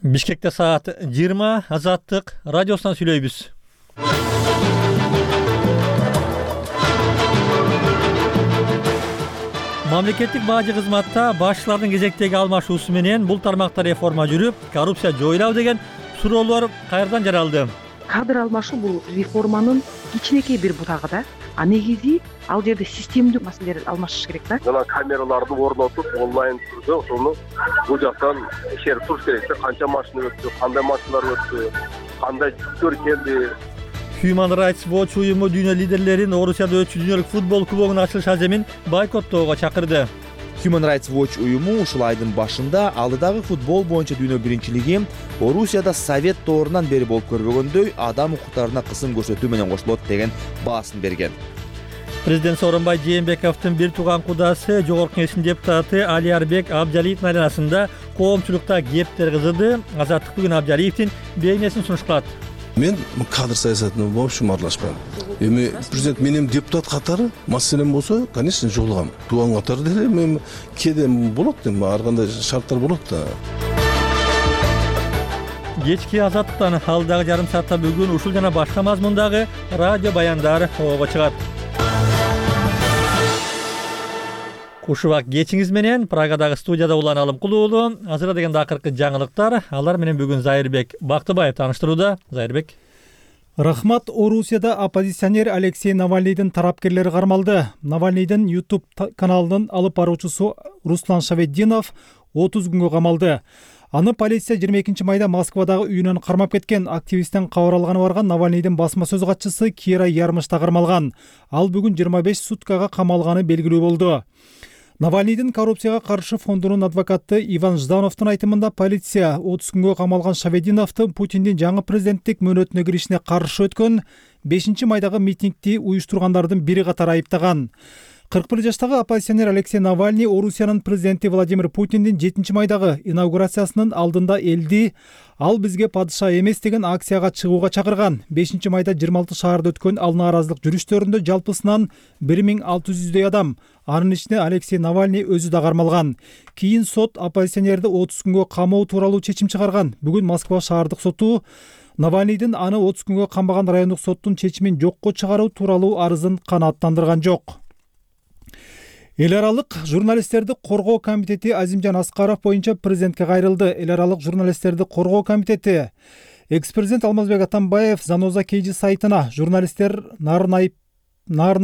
Бишкекте саат 20 Азаттык радиосунан сүйлөйбүз. Мамлекеттик бажы кызматта башчылардын кезектеги алмашуусу менен бул тармакта реформа жүрүп, коррупция жоюлабы деген суроолор кайрадан жаралды. Кадр алмашуу бул реформанын кичинекей бир бутагы да. А негизи ал жерде системдүү маселелер алмашыш керек да. Жана камераларды орнотуп, онлайн түрдө ошону бул жактан текшерип туруш керек. Канча машина өттү, кандай машиналар өттү, кандай жүктөр келди. Human Rights Watch уюму дүйнө лидерлерин Орусияда өтчү дүйнөлүк футбол кубогунун ачылыш аземин бойкоттоого чакырды. Human Rights Watch уюму ушул айдын башында алдыдагы футбол боюнча дүйнө биринчилиги Орусияда Совет доорунан бери болуп көрбөгөндөй адам укуктарына кысым көрсөтүү менен кошулот деген баасын берген. Президент Сооронбай Жээнбековдун бир тууган кудасы Жогорку Кеңештин депутаты Алиарбек Абжалиевдин айланасында коомчулукта кептер кызыды. Азаттык бүгүн Абжалиевдин бейнесин сунушталат. Мен кадр саясатына в общем аралашпайм. Эми президент менен депутат катары маселем болсо, конечно, жолугам. Тууган катары деле мен кедем болот, ар кандай шарттар болот да. Кечки Азаттыктан алдагы жарым саатта бүгүн ушул жана башка мазмундагы радио баяндар ого чыгат. Кушубак кечиңиз менен Прагадагы студияда уланалым кулуулу. Азыр деген акыркы жаңылыктар. Алар менен бүгүн Зайырбек Бактыбаев тааныштырууда. Зайырбек. Рахмат. Орусияда оппозиционер Алексей Навальныйдын тарапкерлери кармалды. Навальныйдын YouTube каналынын алып баруучусу Руслан Шаведдинов 30 күнгө камалды. Аны полиция 22 майда Москвадагы үйүнөн кармап кеткен. Активисттен кабар алганы барган Навальныйдын басма сөз катчысы Кира Ярмышта кармалган. Ал бүгүн 25 суткага камалганы белгилүү болду. Навальныйдын коррупцияга каршы фондунун адвокаты Иван Ждановдун айтымында полиция 30 күнгө камалган Шаведдиновду Путиндин жаңы президенттик мөөнөтүнө киришине каршы өткөн 5 майдагы митингди уюштургандардын бири катары айыптаган. 41 жаштагы оппозиционер Алексей Навальный Орусиянын президенти Владимир Путиндин 7 майдагы инаугурациясынын алдында элди "Ал бизге падыша эмес" деген акцияга чыгууга чакырган. 5 майда 26 шаарда өткөн ал нааразылык жүрүштөрүндө жалпысынан 1600 адам, анын ичинде Алексей Навальный өзү да кармалган. Кийин сот оппозиционерди 30 күнгө камоо тууралуу чечим чыгарган. Бүгүн Москва шаардык соту Навальныйдын аны 30 күнгө камбаган райондук соттун чечимин жокко чыгаруу тууралуу арызын канааттандырган жок. Эл аралык журналисттерди коргоо комитети Азимжан Аскаров боюнча президентке кайрылды. Эл аралык журналисттерди коргоо комитети экс-президент Алмазбек Атамбаев Заноза Кейжи сайтына журналисттер Нарын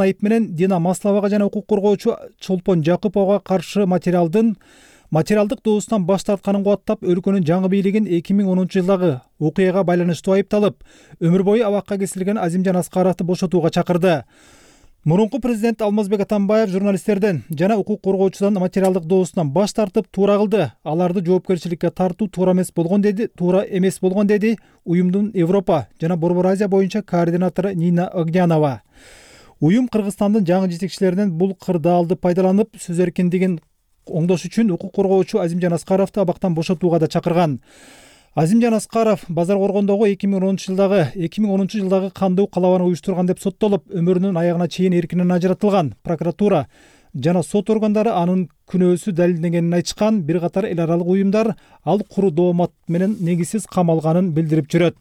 Айып менен Дина Масловага жана укук коргоочу Чолпон Жакыповго каршы материалдык доосунан баш тартканын кубаттап, өлкөнүн жаңы бийлигин 2010 жылдагы окуяга байланыштуу айыпталып, өмүр бою абакка кесилген Азимжан Аскаровду бошотууга чакырды. Мурунку президент Алмазбек Атамбаев журналисттерден жана укук коргоочудан материалдык доосунан баш тартып туура кылды. Аларды жоопкерчиликке тартуу туура эмес болгон деди уюмдун Европа жана Борбор Азия боюнча координатору Нина Огнянова. Уюм Кыргызстандын жаңы жетекчилеринен бул кырдаалды пайдаланып, сөз эркиндигин оңдош үчүн укук коргоочу Азимжан Аскаровду абактан бошотууга да чакырган. Азимжан Аскаров Базар Коргондогу 2010 жылдагы кандуу калабаны уюштурган деп соттолуп, өмүрүнүн аягына чейин эркинен ажыратылган. Прокуратура жана сот органдары анын күнөөсү далилденгенин айтышкан. Бир катар эл аралык уюмдар ал куру доомат менен негизсиз камалганын билдирип жүрөт.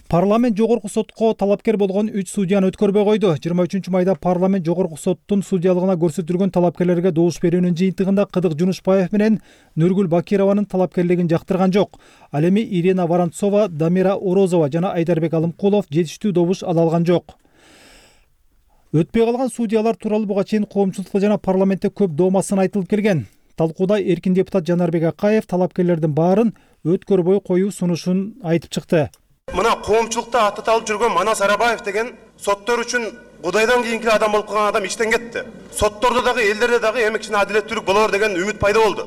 Парламент жогорку сотко талапкер болгон 3 судьяны өткөрбөй койду. 23 майда парламент жогорку соттун судьялыгына көрсөтүлгөн талапкерлерге добуш берүүнүн жыйынтыгында Кыдык Жунушбаев менен Нургүл Бакированын талапкерлигин жактырган жок. Ал эми Ирина Воронцова, Дамира Орозова жана Айдарбек Алымкулов жетиштүү добуш ала алган жок. Өтпөй калган судьялар тууралуу буга чейин коомчулукта жана парламентте көп доомасын айтылып келген. Талкууда эркин депутат Жанарбек Акаев талапкерлердин баарын өткөрбөй коюу сунушун айтып чыкты. Мына коомчулукта аты талып жүргөн Манас Арабаев деген соттор үчүн Кудайдан кийинки адам болуп калган адам иштен кетти. Соттордо дагы, элдерде дагы эмекчине адилеттүүлүк болор деген үмүт пайда болду.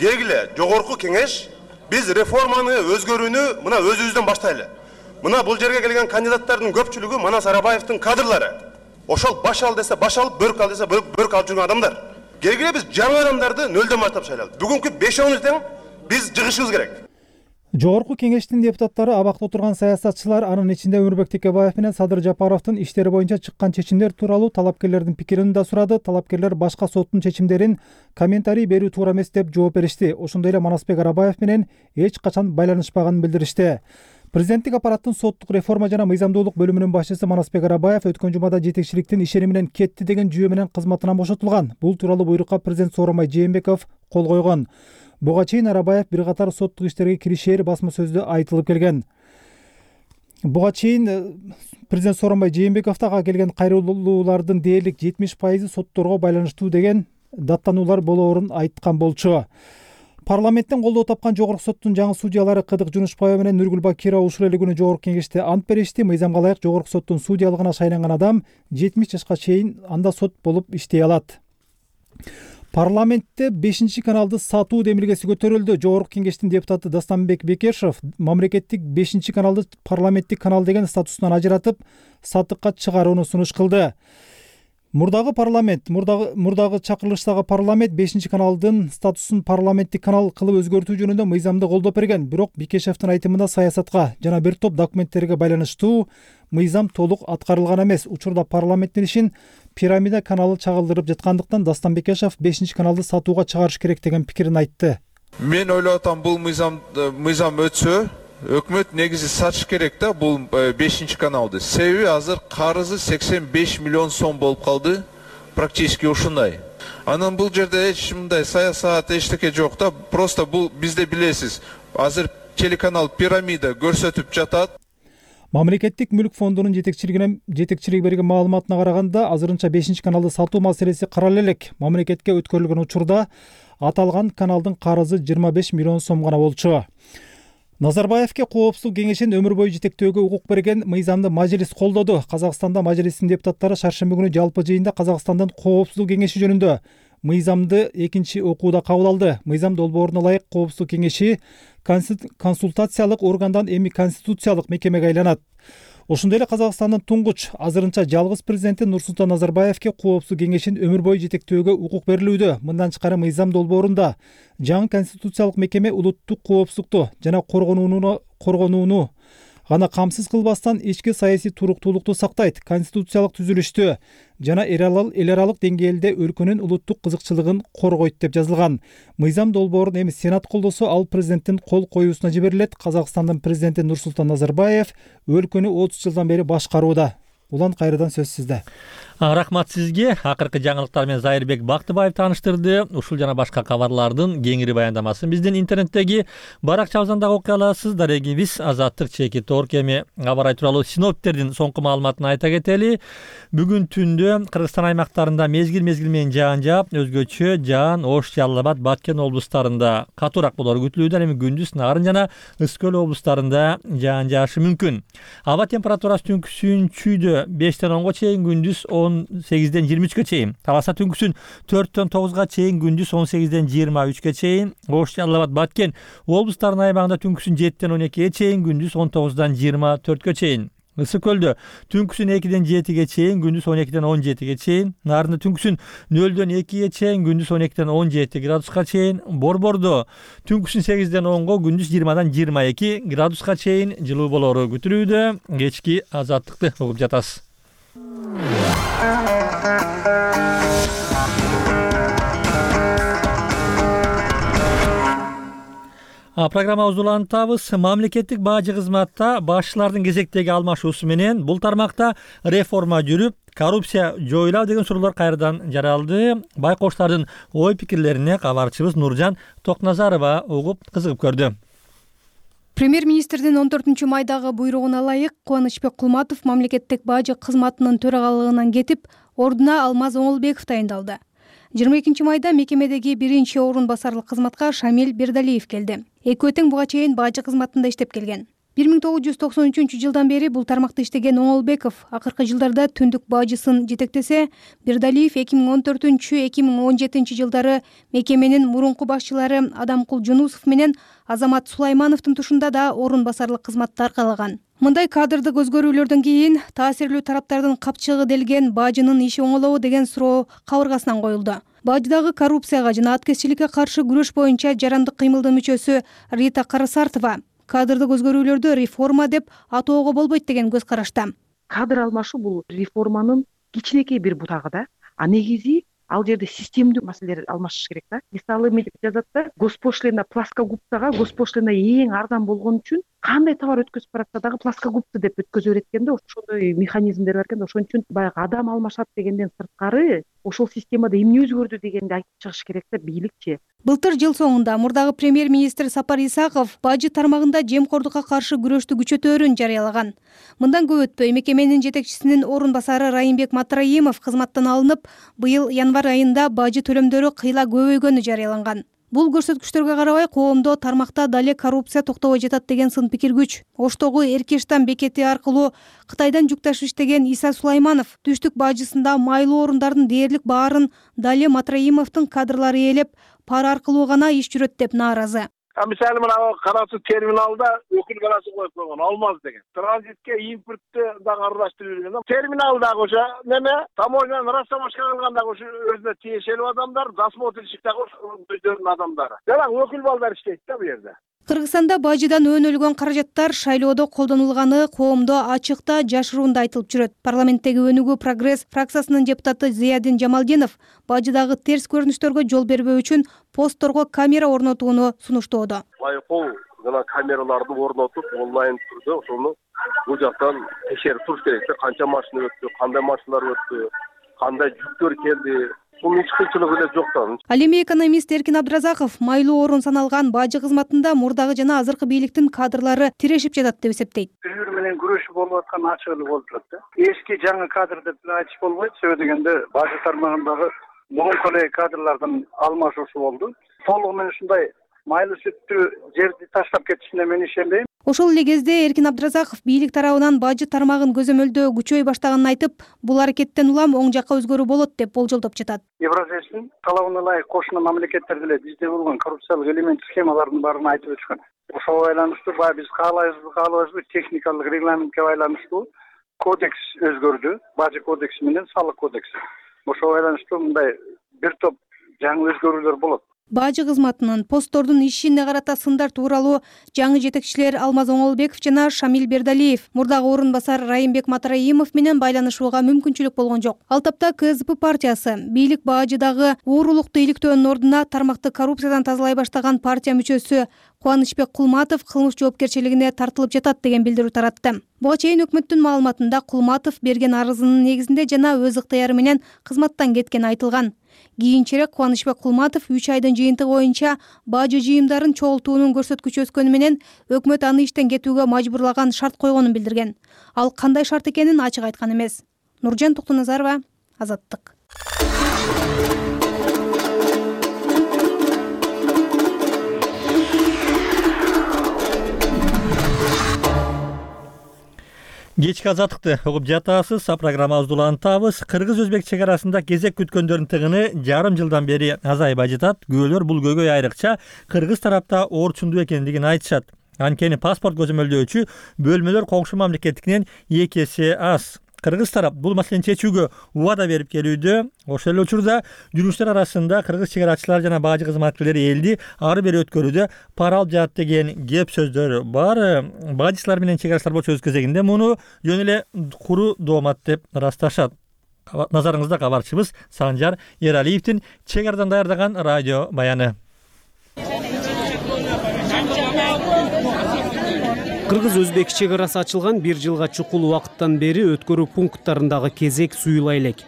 Келгиле, жогорку кеңеш биз реформаны өзгөрүүнү мына өзүбүздөн баштайлы. Мына бул жерге келген кандидаттардын көпчүлүгү Манас Арабаевдин кадрлары. Ошол баш ал десе баш алып, бөрк ал десе бөрк алып жүргөн адамдар. Келгиле биз жаңы адамдарды нөлдөн баштап шайлайлы. Бүгүнкү 5-10 тең биз жыгышыбыз керек. Жогорку кеңештин депутаттары абакта отурган саясатчылар, анын ичинде Өмүрбек Текебаев менен Садыр Жапаровдун иштери боюнча чыккан чечимдер тууралуу талапкерлердин пикирин да сурады. Талапкерлер башка соттун чечимдерин комментарий берүү туура эмес деп жооп беришти. Ошондой эле Манасбек Арабаев менен эч качан байланышпаганын билдиришти. Президенттик аппараттын соттук реформа жана мыйзамдуулук бөлүмүнүн башчысы Манасбек Арабаев өткөн жумада жетекчиликтин ишени менен кетти деген жүйө менен кызматынан бошотулган. Бул тууралуу буйрукка президент Сооронбай Жээнбеков кол койгон. Буга чейин Арабаев бир катар соттук иштерге киришээр басма сөздө айтылып келген. Буга чейин президент Сооронбай Жээнбеков ага келген кайрылуулардын дээрлик 70% сотторго байланыштуу деген даттануулар болоорун айткан болчу. Парламенттен колдоо тапкан жогорку соттун жаңы судьялары Кыдык Жунушбаева менен Нургүл Бакирова ушул эле күнү жогорку кеңеште ант беришти. Мыйзамга ылайык жогорку соттун судьялыгына шайланган адам 70 жашка чейин анда сот болуп иштей алат. Парламентте 5-каналды сатуу демилгеси көтөрүлдү. Жогорку кеңештин депутаты Дастанбек Бекешев мамлекеттик 5-каналды парламенттик канал деген статусунан ажыратып, сатыкка чыгарууну сунуш кылды. Мурдагы чакырылыштагы парламент 5-каналдын статусун парламенттик канал кылып өзгөртүү жөнүндө мыйзамды колдоп берген. Бирок Бекешевдин айтымында саясатка жана бир топ документтерге байланыштуу мыйзам толук аткарылган эмес. Учурда парламенттин ишин пирамида каналы чагылдырып жаткандыктан Дастан Бекешев 5-каналды сатууга чыгарыш керек деген пикирин айтты. Мен ойлоп атам, бул мыйзам өтсө, өкмөт негизи сатыш керек да бул 5-каналды. Себеби азыр карызы 85 миллион сом болуп калды, практически ушундай. Анан бул жерде эч мындай саясат эчтеке жок да, просто бул бизде билесиз, азыр телеканал пирамида көрсөтүп жатат. Мамлекеттик мүлк фондунун жетекчилиги берген маалыматына караганда, азырынча 5-каналды сатуу маселеси каралып элек. Мамлекетке өткөрүлгөн учурда аталган каналдын карызы 25 миллион сом гана болчу. Назарбаевке Коопсуздук кеңешин өмүр бою жетектөөгө укук берген мыйзамды Мажлис колдоду. Казакстанда Мажлистин депутаттары шаршемби күнү жалпы жыйында Казакстандын Коопсуздук кеңеши жөнүндө мыйзамды экинчи окууда кабыл алды. Мыйзам долбооруна ылайык Коопсуздук кеңеши консультациялык органдан эми конституциялык мекемеге айланат. Ошондой эле Казакстандын туңгуч азырынча жалгыз президенти Нурсултан Назарбаевке Коопсуздук кеңешин өмүр бою жетектөөгө укук берилүүдө. Мындан тышкары мыйзам долбоорунда жаңы конституциялык мекеме улуттук коопсуздукту жана коргонууну гана камсыз кылбастан ички саясий туруктуулукту сактайт, конституциялык түзүлүштү жана эл аралык деңгээлде өлкөнүн улуттук кызыкчылыгын коргойт деп жазылган. Мыйзам долбоорун эми Сенат колдосо, ал президенттин кол коюусуна жиберилет. Казакстандын президенти Нурсултан Назарбаев өлкөнү 30 жылдан бери башкарууда. Улан, кайрадан сөз сизде. Рахмат сизге. Акыркы жаңылыктар менен Зайырбек Бактыбаев тааныштырды. Ушул жана башка кабарлардын кеңири баяндамасын биздин интернеттеги баракчабыздан дагы окуй аласыз. Дарегибиз Азаттык чекит орг. Эми аба-ырай тууралуу синоптиктердин соңку маалыматын айта кетели. Бүгүн түндө Кыргызстан аймактарында мезгил менен жаан жаап, өзгөчө жаан Ош, Жалал Абад, Баткен облустарында катуураак болору күтүлүүдө. Эми күндүз Нарын жана Ысык көл облустарында жаан жаашы мүмкүн. Аба температурасы түнкүсүн чүйдө 5-тен 10-га чейин, күндүз 18-ден 23-ге чейин. Таласа түнкүсүн 4-тен 9-га чейин, күндүз 18-ден 23-ге чейин. Ош, Жалал Абад, Баткен облустарынын аймагында түнкүсүн 7-тен 12-ге чейин, күндүз 19-дан 24-кө чейин. Ысык көлдө түнкүсүн 2-ден 7-ге чейин, күндүз 12-ден 17-ге чейин. Нарында түнкүсүн 0-дөн 2-ге чейин, күндүз 12-ден 17 градуска чейин. Борбордо түнкүсүн 8-ден 10-го, күндүз 20-дан 22 градуска чейин жылуу болору күтүлүүдө. Кечки азаттыкты угуп жатасыз. Программабызды улантабыз. Мамлекеттик бажы кызматта башчылардын кезектеги алмашуусу менен бул тармакта реформа жүрүп, коррупция жоюлат деген суроолор кайрадан жаралды. Байкоштардын ой пикирлерине кабарчыбыз Нуржан Токназарова угуп кызыгып көрдү. Премьер-министрдин 14-майдагы буйругуна ылайык Кубанычбек Кулматов мамлекеттик бажы кызматынын төрагалыгынан кетип, ордуна Алмаз Оңолбеков тайындалды. 22-майда мекемедеги биринчи орун басарлык кызматка Шамил Бердалиев келди. Экөө тең буга чейин бажы кызматында иштеп келген. 1993-жылдан бери бул тармакта иштеген Оңолбеков акыркы жылдарда түндүк бажысын жетектесе, Бердалиев 2014-2017 жылдары мекеменин мурунку башчылары Адамкул Жунусов менен Азамат Сулаймановдун тушунда да орун басарлык кызматты аркалаган. Мындай кадрдык өзгөрүүлөрдөн кийин таасирлүү тараптардын капчыгы делген бажынын иши оңолобу деген суроо кабыргасынан коюлду. Баждагы коррупцияга жана аткезчиликке каршы күрөш боюнча жарандык кыймылдын мүчөсү Рита Карасартова кадрдык өзгөрүүлөрдү реформа деп атоого болбойт деген көз карашта. Кадр алмашуу бул реформанын кичинекей бир бутагы да. А негизи ал жерде системдүү маселелер алмашыш керек да. Мисалы мынтип жазат да, госпошлина плоскогубцага госпошлина эң арзан болгон үчүн кандай товар өткөзүп баратса дагы плоскогубцы деп өткөзө берет экен да. Ошондой механизмдер бар экен да. Ошон үчүн баягы адам алмашат дегенден сырткары ошол системада эмне өзгөрдү дегенди айтып чыгыш керек да бийликчи. Былтыр жыл соңунда мурдагы премьер-министр Сапар Исаков бажы тармагында жемкордукка каршы күрөштү күчөтөөрүн жарыялаган. Мындан көп өтпөй мекеменин жетекчисинин орун басары Райымбек Матраимов кызматтан алынып, быйыл январь айында бажы төлөмдөрү кыйла көбөйгөнү жарыяланган. Бул көрсөткүчтөргө карабай коомдо тармакта дале коррупция токтобой жатат деген сын пикир күч. Оштогу Эркештан бекети аркылуу Кытайдан жүк ташып иштеген Иса Сулайманов түштүк бажысында майлуу орундардын дээрлик баарын дале Матраимовдун кадрлары ээлеп, пара аркылуу гана иш жүрөт деп нааразы. Мисалы мына кара суу терминалда өкүл баласы коюп койгон Алмаз деген. Транзитке импортты дагы аралаштырып жүргөн. Терминалдагы ошо неме таможняны расставашка кылгандагы ошо өзүнө тиешелүү адамдар, досмотрщиктагы өздөрүнүн адамдары. Жана өкүл балдар иштейт да бу жерде. Кыргызстанда бажыдан өнүлгөн каражаттар шайлоодо колдонулганы коомдо ачыкта жашыруунда айтылып жүрөт. Парламенттеги Өнүгүү Прогресс фракциясынын депутаты Зиядин Жамалдинов бажыдагы терс көрүнүштөргө жол бербөө үчүн постторго камера орнотууну сунуштоодо. Байкоо жана камераларды орнотуп онлайн түрдө ошону бул жактан текшерип туруш керек. Канча машина өттү, кандай машиналар өттү, кандай жүктөр келди. Бул эч кыйынчылыгы эле жок да. Ал эми экономист Эркин Абдыразаков майлуу орун саналган бажы кызматында мурдагы жана азыркы бийликтин кадрлары тирешип жатат деп эсептейт. Бири-бири менен күрөшүп болуп аткан ачык эле болуп турат да. Эски жаңы кадр деп айтыш болбойт. Себеби дегенде бажы тармагындагы мурунку эле кадрлардын алмашуусу болду. Толугу менен ушундай майлуу сүттү жерди таштап кетишине мен ишенбейм. Ошол эле кезде Эркин Абдыразаков бийлик тарабынан бажы тармагын көзөмөлдөө күчөй баштаганын айтып, бул аракеттен улам оң жакка өзгөрүү болот деп болжолдоп жатат. Евразиянын талабына ылайык кошуна мамлекеттер деле бизде болгон коррупциялык элемент схемалардын баарын айтып өтүшкөн. Ошого байланыштуу биз каалайбызбы, техникалык регламентке байланыштуу кодекс өзгөрдү. Бажы кодекси менен салык кодекси. Ошого байланыштуу мындай бир топ жаңы өзгөрүүлөр болот. Бажы кызматынын посттордун ишине карата сындар тууралуу жаңы жетекчилер Алмаз Оңолбеков жана Шамил Бердалиев мурдагы орун басар Райымбек Матраимов менен байланышууга мүмкүнчүлүк болгон жок. Ал тапта КСДП партиясы бийлик бажыдагы уурулукту иликтөөнүн ордуна тармакты коррупциядан тазалай баштаган партия мүчөсү Кубанычбек Кулматов кылмыш жоопкерчилигине тартылып жатат деген билдирүү таратты. Буга чейин өкмөттүн маалыматында Кулматов берген арызынын негизинде жана өз ыктыяры менен кызматтан кеткени айтылган. Кийинчерээк Кубанычбек Кулматов 3 айдын жыйынтыгы боюнча бажы жыйымдарын чогултуунун көрсөткүчү өскөнү менен өкмөт аны иштен кетүүгө мажбурлаган шарт койгонун билдирген. Ал кандай шарт экенин ачык айткан эмес. Нуржан Токтоназарова, Азаттык. Кечки Азаттыкты угуп жатасыз. Программабызды улантабыз. Кыргыз-өзбек чек арасында кезек күткөндөрдүн тыгыны жарым жылдан бери азайбай жатат. Күбөлөр бул көйгөй айрыкча кыргыз тарапта орчундуу экендигин айтышат. Анткени паспорт көзөмөлдөөчү бөлмөлөр кокушу мамлекеттикинен 2 эсе аз. Кыргыз тарап бул маселени чечүүгө убада берип келүүдө. Ошол эле учурда жүргүчтөр арасында кыргыз чек арачылар жана бажы кызматкерлери элди ары бери өткөрүүдө пара алып жатат деген кеп сөздөр бар. Бажычылар менен чек арачылар болчу өз кезегинде муну жөн эле куру доомат деп ырасташат. Назарыңызда кабарчыбыз Санжар Эралиевдин чек арадан даярдаган радио баяны. Кыргыз-өзбек чек арасы ачылган 1 жылга чукул убакыттан бери өткөрүү пункттарындагы кезек суюла элек.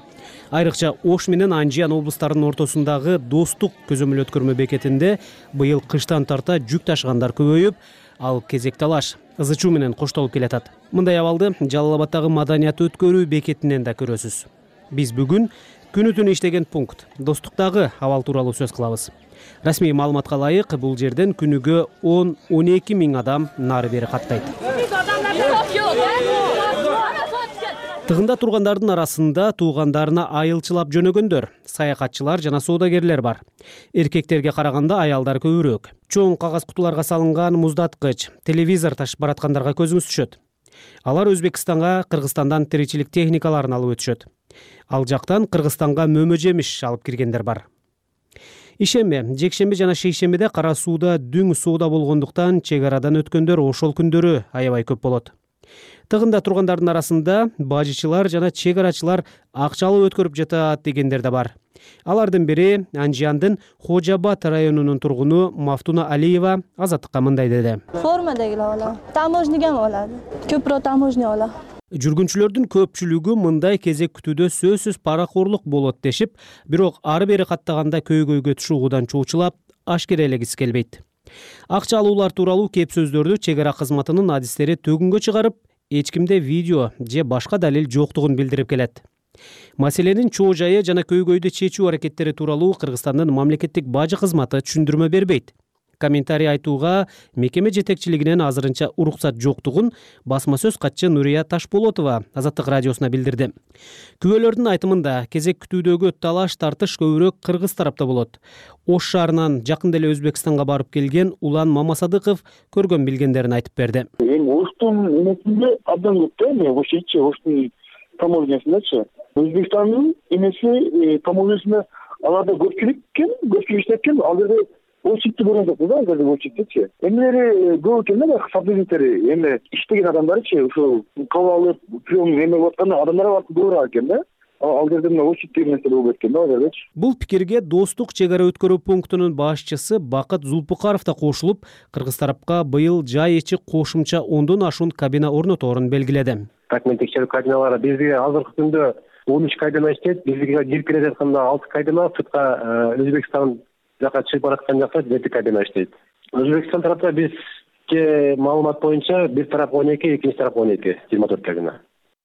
Айрыкча Ош менен Анжиян облустарынын ортосундагы Достук көзөмөл өткөрмө бекетинде быйыл кыштан тарта жүк ташыгандар көбөйүп, ал кезек талаш ызы чуу менен коштолуп келатат. Мындай абалды Жалал Абаддагы маданият өткөрүү бекетинен да көрөсүз. Биз бүгүн күнү түнү иштеген пункт Достуктагы абал тууралуу сөз кылабыз. Расмий маалыматка ылайык бул жерден күнүгө 10-12 миң адам нары бери каттайт. Тыгында тургандардын арасында туугандарына айылчылап жөнөгөндөр, саякатчылар жана соодагерлер бар. Эркектерге караганда аялдар көбүрөөк. Чоң кагаз кутуларга салынган муздаткыч, телевизор ташып бараткандарга көзүңүз түшөт. Алар Өзбекстанга, Кыргызстандан тиричилик техникаларын алып өтүшөт. Ал жактан Кыргызстанга мөмө жемиш алып киргендер бар. Ишемби, жекшемби жана шейшембиде Кара сууда дүң сууда болгондуктан чек арадан өткөндөр ошол күндөрү аябай көп болот. Тыгында тургандардын арасында бажычылар жана чек арачылар акчалуу өткөрүп жатат дегендер да бар. Алардын бири Анжияндын Хожабад районунун тургуну Мафтуна Алиева Азаттыкка мындай деди. Формадагилар олат. Таможняга олат. Көпүрөөк таможня олат. Жүргүнчүлөрдүн көпчүлүгү мындай кезек күтүүдө сөзсүз паракорлук болот дешип, бирок ары бери каттаганда көйгөйгө түшүүгүдан чуучулап, ашкерелегиси келбейт. Акча алуулар тууралуу кеп сөздөрдү чек ара кызматынын адистери төгүнгө чыгарып, эч кимде видео же башка далил жоктугун билдирип келет. Маселенин чоо жайы жана көйгөйдү чечүү аракеттери тууралуу Кыргызстандын мамлекеттик бажы кызматы түшүндүрмө бербейт. Комментарий айтууга мекеме жетекчилигинен азырынча уруксат жоктугун басма сөз катчы Нурия Ташполотова Азаттык радиосуна билдирди. Күбөлөрдүн айтымында кезек күтүүдөгү талаш тартыш көбүрөөк кыргыз тарапта болот. Ош шаарынан жакын деле Өзбекстанга барып келген Улан Мамасадыков көргөн билгендерин айтып берди. Оштун эмесинде абдан көп да, ошичи Оштун таможнясындачы. Өзбекстандын эмеси таможнясында аларда көпчүлүк иштеткен, ал жерде очитти көргөн жокпуз да, азыр очиттичи. Эмелери көп экен да, сотрудниктери, эми иштеген адамдарычы, ошо кабыл алып, прием эме атканда адамдар көбүрөөк экен да. Ал жерде очитти нерсе болуп кеткен да, азырчы. Бул пикирге Достук чек ара өткөрүү пунктунун башчысы Бакыт Зулпукаров да кошулуп, кыргыз тарапка быйыл жай ичи кошумча 10дон ашуун кабина орноторун белгиледи. Документ текшерүү кабиналары бизге азыркы күндө 13 кабина иштейт, бизге кирип келе жатканда 6 кабина, сыртка Өзбекстан жака чыгып бараткан жакта 7 кабина иштейт. Өзбекстан тарапта бизге маалымат боюнча бир тарап 12, экинчи тарап 12, 24 кабина.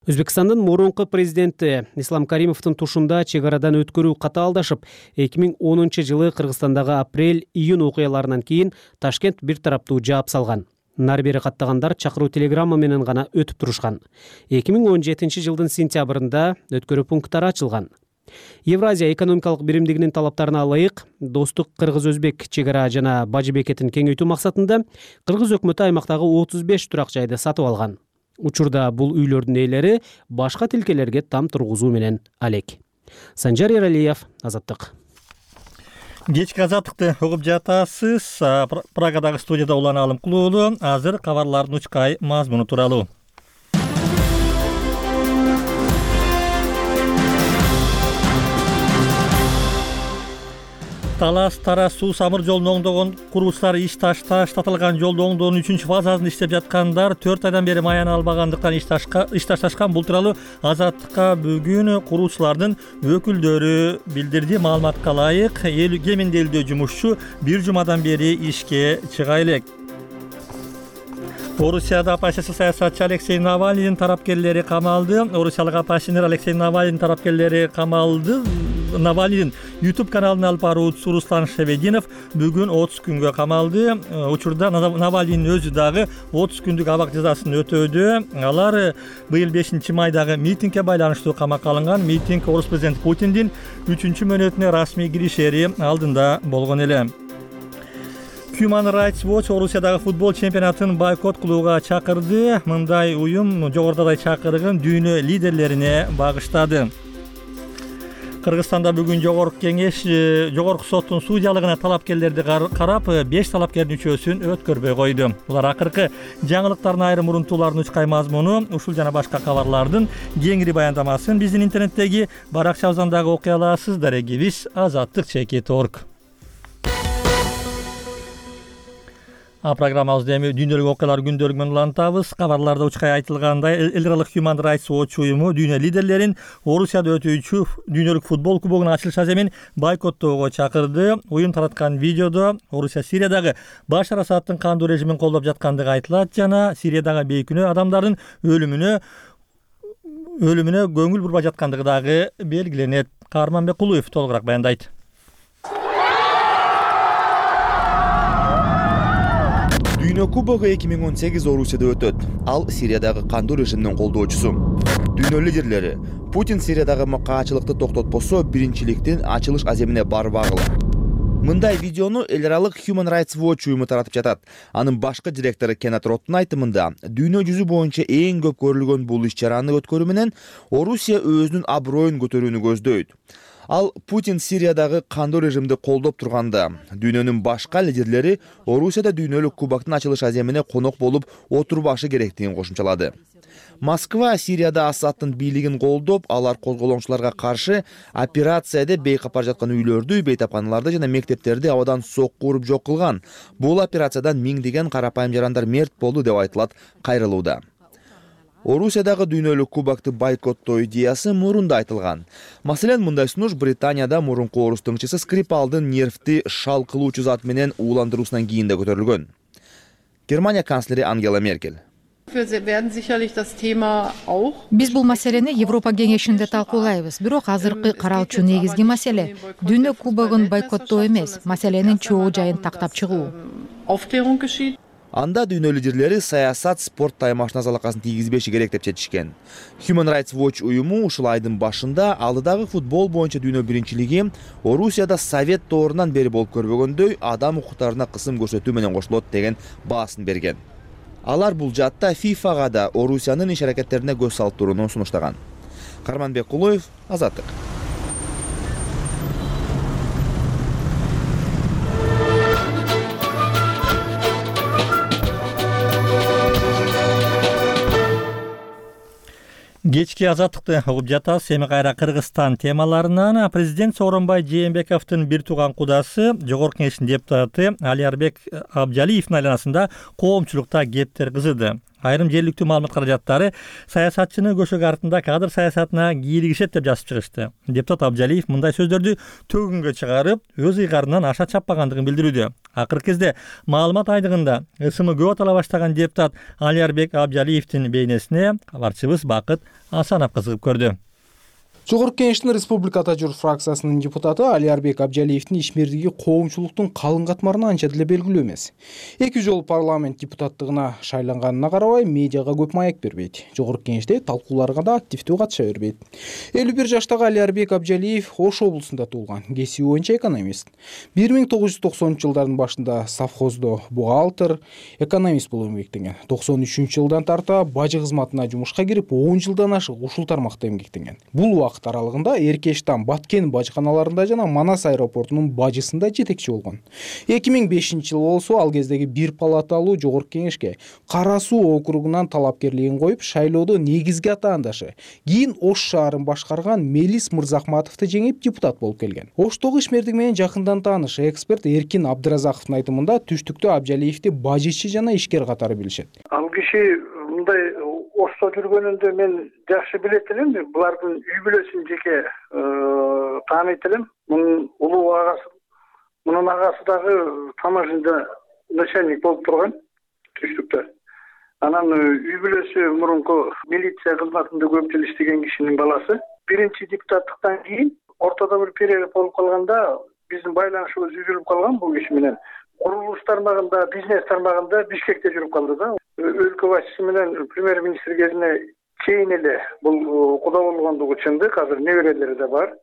Өзбекстандын мурунку президенти Ислам Каримовдун тушунда чек арадан өткөрүү катаалдашып, 2010-жылы Кыргызстандагы апрель-июнь окуяларынан кийин Ташкент бир тараптуу жаап салган. Нары бери каттагандар чакыруу телеграмма менен гана өтүп турушкан. 2017-жылдын сентябрында өткөрүү пункттары ачылган. Евразия экономикалык биримдигинин талаптарына ылайык Достук кыргыз-өзбек чек ара жана бажы бекетин кеңейтүү максатында Кыргыз өкмөтү аймактагы 35 турак жайды сатып алган. Учурда бул үйлөрдүн ээлери башка тилкелерге там тургузуу менен алек. Санжар Эралиев, Азаттык. Кечки Азаттыкты угуп жатасыз. Прагадагы студияда Улан Алымкулуулу. Азыр кабарлардын учкай мазмуну тууралуу. Талас-Тарас суу самыр жолун оңдогон курулуштар иш таштатылган жолду оңдоонун 3-фазасын иштеп жаткандар 4 айдан бери маяна албагандыктан иш ташташкан. Бул тууралуу Азаттыкка бүгүн курулуучулардын өкүлдөрү билдирди. Маалыматка ылайык, кеминде 50 жумушчу 1 жумадан бери ишке чыга элек. Орусияда оппозиция саясатчы Алексей Навальныйдын тарапкерлери камалды. Орусиялык оппозиционер Алексей Навальныйдын тарапкерлери камалды. Навальныйдын YouTube каналын алып баруучусу Руслан Шавединов бүгүн 30 күнгө камалды. Учурда Навальныйдын өзү дагы 30 күндүк абак жазасын өтөөдө. Алар быйыл 5 майдагы митингге байланыштуу камакка алынган. Митинг орус президенти Путиндин 3 мөөнөтүнө расмий киришери алдында болгон эле. Human Rights Watch Орусиядагы футбол чемпионатын бойкот кылууга чакырды. Мындай уюм жогорудагы чакырыгын дүйнө лидерлерине багыштады. Кыргызстанда бүгүн жогорку соттун судьялыгына талапкерлерди карап 5 талапкердин үчөөсүн өткөрбөй койду. Булар акыркы жаңылыктардын айрым урунтуулардын учкай мазмуну, ушул жана башка кабарлардын кеңири баяндамасын биздин интернеттеги баракчабыздан окуй аласыз. Дарегибиз azattik.org. Программабызды эми дүйнөлүк окуялар күндөлүгү менен улантабыз. Кабарларда учкай айтылгандай, эл аралык Human Rights Watch уюму дүйнө лидерлерин Орусияда өтүүчү дүйнөлүк футбол кубогунун ачылыш аземин бойкоттоого чакырды. Уюм тараткан видеодо Орусия Сириядагы Башар Асадтын кандуу режимин колдоп жаткандыгы айтылат жана Сириядагы бейкүнөө адамдардын өлүмүнө көңүл бурбай жаткандыгы дагы белгиленет. Каарманбек Кулуев толугураак баяндайт. Дүйнө кубогу 2018 Орусияда өтөт. Ал Сириядагы кандуу режимдин колдоочусу. Дүйнө лидерлери Путин Сириядагы макаачылыкты токтотпосо биринчиликтин ачылыш аземине барбагыла. Мындай видеону эл аралык Human Rights Watch уюму таратып жатат. Анын башкы директору Кеннет Роттун айтымында, дүйнө жүзү боюнча эң көп көрүлгөн бул иш-чараны өткөрүү менен Орусия өзүнүн аброюн көтөрүүнү көздөйт. Ал Путин Сириядагы кандуу режимди колдоп турганда дүйнөнүн башка лидерлери Орусияда дүйнөлүк кубоктун ачылыш аземине конок болуп отурбашы керектигин кошумчалады. Москва Сирияда Асадтын бийлигин колдоп, алар козголоңчуларга каршы операция деп бейкап бара жаткан үйлөрдү, бейтапканаларды жана мектептерди абадан сокку уруп жок кылган. Бул операциядан миңдеген карапайым жарандар мерт болду деп айтылат кайрылууда. Орусиядагы дүйнөлүк кубокты бойкоттоо идеясы мурунда айтылган. Маселен, мындай сунуш Британияда мурунку орус тыңчысы Скрипалдын нервти шал кылуучу зат менен ууландыруусунан кийин да көтөрүлгөн. Германия канцлери Ангела Меркель: Биз бул маселени Европа кеңешинде талкуулайбыз. Бирок азыркы каралчу негизги маселе дүйнө кубогун бойкоттоо эмес, маселенин чогуу жайын тактап чыгуу. Анда дүйнө лидерлери саясат спорт таймашына залакасын тийгизбеши керек деп чечишкен. Human Rights Watch уюму ушул айдын башында алдыдагы футбол боюнча дүйнө биринчилиги Орусияда Совет доорунан бери болуп көрбөгөндөй адам укуктарына кысым көрсөтүү менен кошулот деген баасын берген. Алар бул жатта ФИФАга да Орусиянын иш аракеттерине көз салып турууну сунуштаган. Карманбек Кулоев, Азаттык. Кечки Азаттыкты угуп жатасыз. Эми кайра Кыргызстан темаларынан. Президент Сооронбай Жээнбековдун бир тууган кудасы, Жогорку Кеңештин депутаты Алиарбек Абжалиевдин айланасында коомчулукта кептер кызыды. Айрым жергиликтүү маалымат каражаттары саясатчыны көшөгө артында кадр саясатына кийлигишет деп жазып чыгышты. Депутат Абжалиев мындай сөздөрдү төгүнгө чыгарып, өз ыйгарынан аша чаппагандыгын билдирүүдө. Акыркы кезде маалымат айдыгында ысымы көп атала баштаган депутат Алиарбек Абжалиевдин бейнесине кабарчыбыз Бакыт Асанов кызыгып көрдү. Жогорку Кеңештин Республика Журт фракциясынын депутаты Алиарбек Абжалиевдин ишмердиги коомчулуктун калың катмарына анча деле белгилүү эмес. 2 жолу парламент депутаттыгына шайланганына карабай медиага көп маек бербейт. Жогорку Кеңеште талкууларга да активдүү катыша бербейт. 51 жаштагы Алиарбек Абжалиев Ош облусунда туулган, кесиби боюнча экономист. 1990-жылдардын башында совхоздо бухгалтер, экономист болуп эмгектенген. 93-жылдан тарта бажы кызматына жумушка кирип, 10 жылдан ашык ушул тармакта эмгектенген. Бул убакыт аралыгында Эркештан, Баткен бажыканаларында жана Манас аэропортунун бажысында жетекчи болгон. 2005-жылы болсо ал кездеги бир палаталуу Жогорку Кеңешке Кара Суу округунан талапкерлигин коюп, шайлоодо негизги атаандашы, кийин Ош шаарын башкарган Мелис Мырзахматовду жеңип депутат болуп келген. Оштогу ишмердик менен жакындан тааныш эксперт Эркин Абдыразаковдун айтымында түштүктө Абжалиевди бажычы жана ишкер катары билишет. Ал киши мындай Ошто жүргөнүндө мен жакшы билет элем. Булардын үй бүлөсүн жеке тааныйт элем. Мунун улуу агасы, мунун агасы дагы таможняда начальник болуп турган түштүктө. Анан үй бүлөсү мурунку милиция кызматында көп жыл иштеген кишинин баласы. Биринчи депутаттыктан кийин ортодо бир перерыв болуп калганда биздин байланышыбыз үзүлүп калган бул киши менен. Курулуш тармагында, бизнес тармагында Бишкекте жүрүп калды да. Өлкө башчысы менен премьер-министр кезине чейин эле бул куда болгондугу чындык. Азыр неберелери да бар.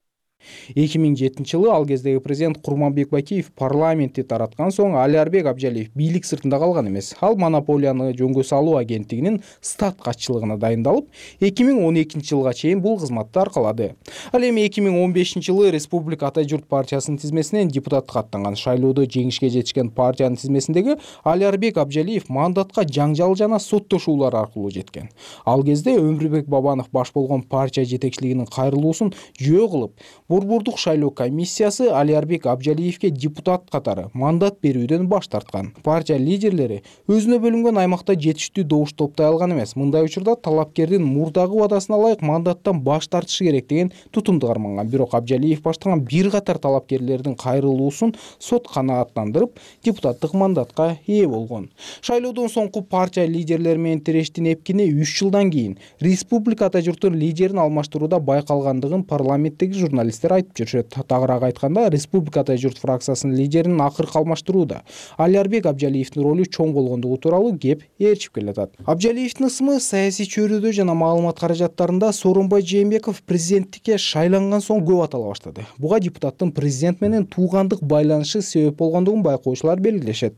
2007-жылы ал кездеги президент Курманбек Бакиев парламентти тараткан соң Алиарбек Абжалиев бийлик сыртында калган эмес. Ал монополияны жөнгө салуу агенттигинин стат катчылыгына дайындалып, 2012-жылга чейин бул кызматты аркалады. Ал эми 2015-жылы Республика Ата Журт партиясынын тизмесинен депутатка аттанган. Шайлоодо жеңишке жетишкен партиянын тизмесиндеги Алиарбек Абжалиев мандатка жаңжал жана соттошуулар аркылуу жеткен. Ал кезде Өмүрбек Бабанов баш болгон партия жетекчилигинин кайрылуусун жөө кылып, Борбордук шайлоо комиссиясы Алиарбек Абжалиевге депутат катары мандат берүүдөн баш тарткан. Партия лидерлери өзүнө бөлүнгөн аймакта жетиштүү добуш топтой алган эмес. Мындай учурда талапкердин мурдагы убадасына ылайык мандаттан баш тартышы керек деген тутумду карманган. Бирок Абжалиев баштаган бир катар талапкерлердин кайрылуусун сот канааттандырып, депутаттык мандатка ээ болгон. Шайлоодон соңку партия лидерлери менен тирештин эпкини 3 жылдан кийин Республика Ата Журттун лидерин алмаштырууда байкалгандыгын парламенттеги журналисттер айтып жүрүшөт. Тагыраак айтканда, Республика Ата Журт фракциясынын лидерин акыркы алмаштырууда Алиарбек Абжалиевдин ролу чоң болгондугу тууралуу кеп ээрчип келатат. Абжалиевдин ысымы саясий чөйрөдө жана маалымат каражаттарында Сооронбай Жээнбеков президенттикке шайланган соң көп атала баштады. Буга депутаттын президент менен туугандык байланышы себеп болгондугун байкоочулар белгилешет.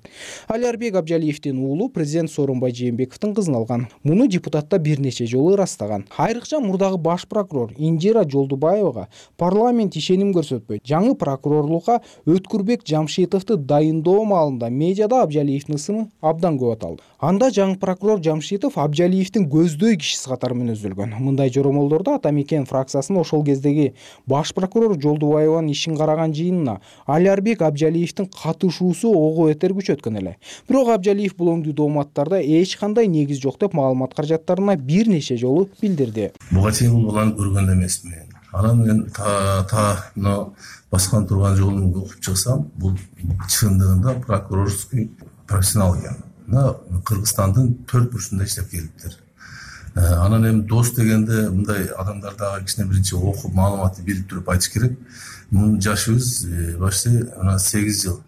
Алиарбек Абжалиевдин уулу президент Сооронбай Жээнбековдун кызын алган. Муну депутатта бир нече жолу ырастаган. Айрыкча мурдагы баш прокурор Индира Жолдубаевага парламент парламент ишеним көрсөтпөйт. Жаңы прокурорлукка Өткүрбек Жамшитовду дайындоо маалында медиада Абжалиевдин ысымы абдан көп аталды. Анда жаңы прокурор Жамшитов Абжалиевдин көздөй кишиси катары мүнөздөлгөн. Мындай жоромолдордо Ата Мекен фракциясынын ошол кездеги баш прокурор Жолдубаеванын ишин караган жыйынына Алиарбек Абжалиевдин катышуусу ого бетер күчөткөн эле. Бирок Абжалиев бул оңдуу дооматтарда эч кандай негиз жок деп маалымат каражаттарына бир нече жолу билдирди. Буга чейин бул баланы көргөн эмесмин. Анан мен мына баскан турган жолун окуп чыксам, бул чындыгында прокурорский профессионал экен. Мына Кыргызстандын 4 бурчунда иштеп келиптир. Анан эми дос дегенде мындай адамдарды кичине биринчи окуп маалыматты билип туруп айтыш керек. Мунун жашыбыз почти 8 жыл.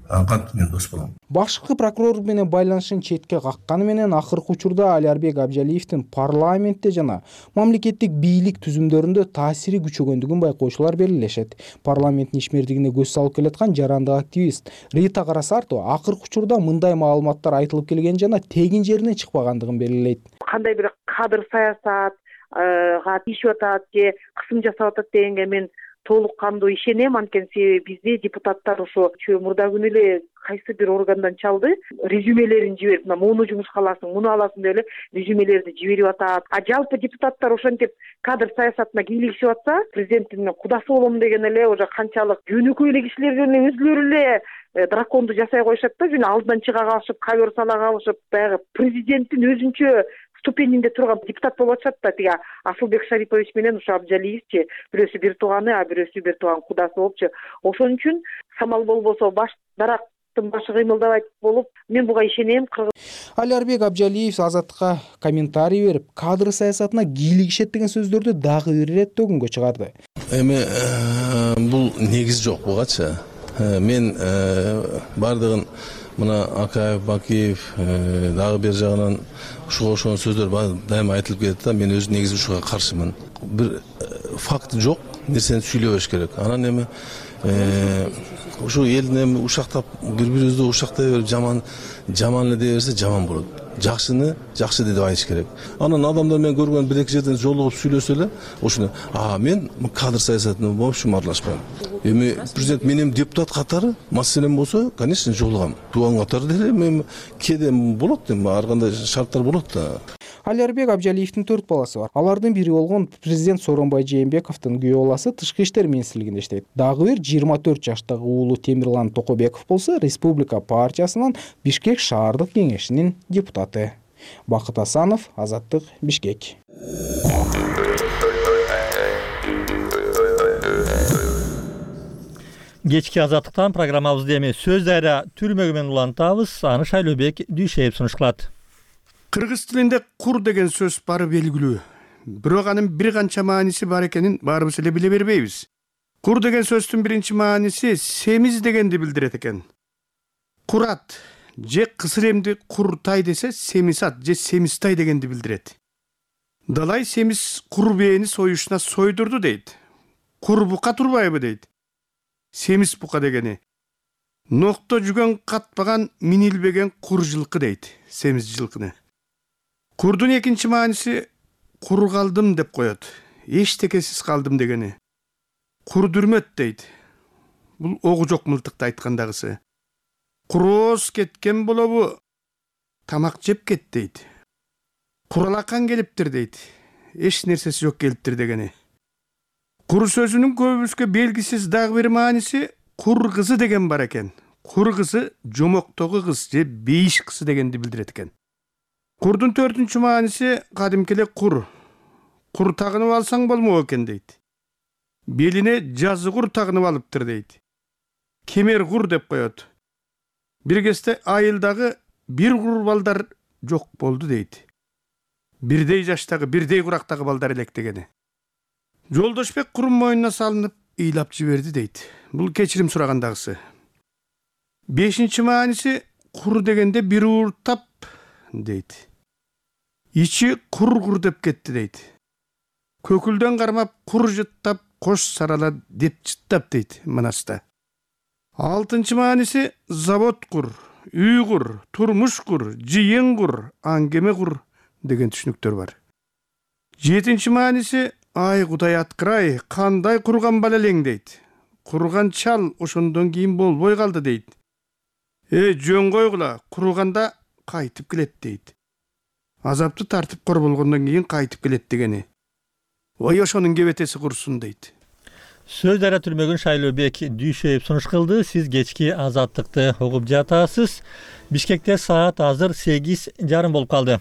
Кантип мен дос болом. Башкы прокурор менен байланышын четке какканы менен акыркы учурда Алиарбек Абжалиевдин парламентте жана мамлекеттик бийлик түзүмдөрүндө таасири күчөгөндүгүн байкоочулар белгилешет. Парламенттин ишмердигине көз салып келаткан жарандык активист Рита Карасартова акыркы учурда мындай маалыматтар айтылып келген жана тегин жеринен чыкпагандыгын белгилейт. Кандай бир кадыр саясатга тийишип атат же кысым жасап атат дегенге мен толук кандуу ишенем, анткени себеби бизде депутаттар ошо мурда күнү эле кайсы бир органдан чалды, резюмелерин жиберип, муну жумушка аласың, муну аласың деп эле резюмелерди жиберип атат. Жалпы депутаттар ошентип кадр саясатына кийлигишип атса, президенттин кудасы болом деген эле уже канчалык жөнөкөй эле кишилер эле өзүлөрү эле драконду жасай коюшат да, жөн алдынан чыга калышып, кабер сала калышып, баягы президенттин өзүнчө ступенинде турган депутат болуп атышат да. Тиги Асылбек Шарипович менен ушу Абжалиевчи бирөөсү бир тууганы, а бирөөсү бир тууган кудасы болупчу. Ошон үчүн самал болбосо баш дарактын башы кыймылдабайт болуп, мен буга ишенем. Алиарбек Абжалиев Азаттыкка комментарий берип, кадр саясатына кийлигишет деген сөздөрдү дагы бир ирет төгүнгө чыгарды. Эми бул негиз жок бугачы. Мен бардыгын мына Акаев, Бакиев дагы бир жагынан ушуга ошон сөздөр дайыма айтылып келет да, мен өз негизи ушуга каршымын. Бир факт жок нерсени сүйлөбөш керек. Анан эми ушу элдин эми ушактап бири-бирибизди ушактай берип жаман эле дей берсе жаман болот. Жакшыны жакшы деп айтыш керек. Анан адамдар мен көргөн бир-эки жерден жолугуп сүйлөсө эле, ошону мен кадр саясатына вообще аралашпайм. Эми президент менин депутат катары маселем болсо, конечно, жолугам. Тууган катары деле мен кээде болот, ар кандай шарттар болот да. Алиарбек Абжалиевдин 4 баласы бар. Алардын бири болгон президент Сооронбай Жээнбековдун күйөө баласы Тышкы иштер министрлигинде иштейт. Дагы бир 24 жаштагы уулу Темирлан Токобеков болсо Республика партиясынын Бишкек шаардык кеңешинин депутаты. Бакыт Асанов, Азаттык, Бишкек. Кечки Азаттыктан программабызды эми сөз дайра түрмөгү менен улантабыз. Аны Шайлообек Дүйшеев сунуш кылат. Кыргыз тилинде кур деген сөз бары белгилүү. Бирок анын бир канча мааниси бар экенин баарыбыз эле биле бербейбиз. Кур деген сөздүн биринчи мааниси семиз дегенди билдирет экен. Курат же кысыр эмди куртай десе семисат же семистай дегенди билдирет. Далай семиз кур бээни союшуна сойдурду дейт. Кур бука турбайбы дейт. Семиз бука дегени. Нокто жүгөн катпаган минилбеген кур жылкы дейт, семиз жылкыны. Курдун экинчи мааниси кур калдым деп коет. Эчтекесиз калдым дегени. Кур дүрмөт дейт. Бул огу жок мылтыкты айткандагысы. Курооз кеткен болобу, тамак жеп кет дейт. Куралакан келиптир дейт. Эч нерсеси жок келиптир дегени. Кур сөзүнүн көбүбүзгө белгисиз дагы бир мааниси кур кызы деген бар экен. Кур кызы жомоктогу кыз же бейиш кызы дегенди билдирет экен. Курдун 4-чү мааниси кадимки эле кур. Кур тагынып алсаң болмок экен дейт. Белине жазы кур тагынып алыптыр дейт. Кемер кур деп коет. Бир кезде айылдагы бир кур балдар жок болду дейт. Бирдей жаштагы, бирдей курактагы балдар элек дегени. Жолдошбек курун мойнуна салынып ыйлап жиберди дейт. Бул кечирим сурагандагысы. 5-чи мааниси кур дегенде бир ууртап дейт. Ичи кур деп кетти дейт. Көкүлдөн кармап кур жыттап кош сарала деп жыттап дейт Манаста. 6-чы мааниси завод кур, үй кур, турмуш кур, жыйын кур, аңгеме кур деген түшүнүктөр бар. 7-чи мааниси Ай Кудай аткырай, кандай курган бала элең дейт. Курган чал ошондон кийин болбой калды дейт. Жөн койгула, курганда кайтып келет дейт. Азапты тартып кор болгондон кийин кайтып келет дегени. Ой ошонун кебетеси курсун дейт. Сөз дара түрмөгүн Шайлообек Дүйшөев сунуш кылды. Сиз кечки Азаттыкты угуп жатасыз. Бишкекте саат азыр 8:30 болуп калды.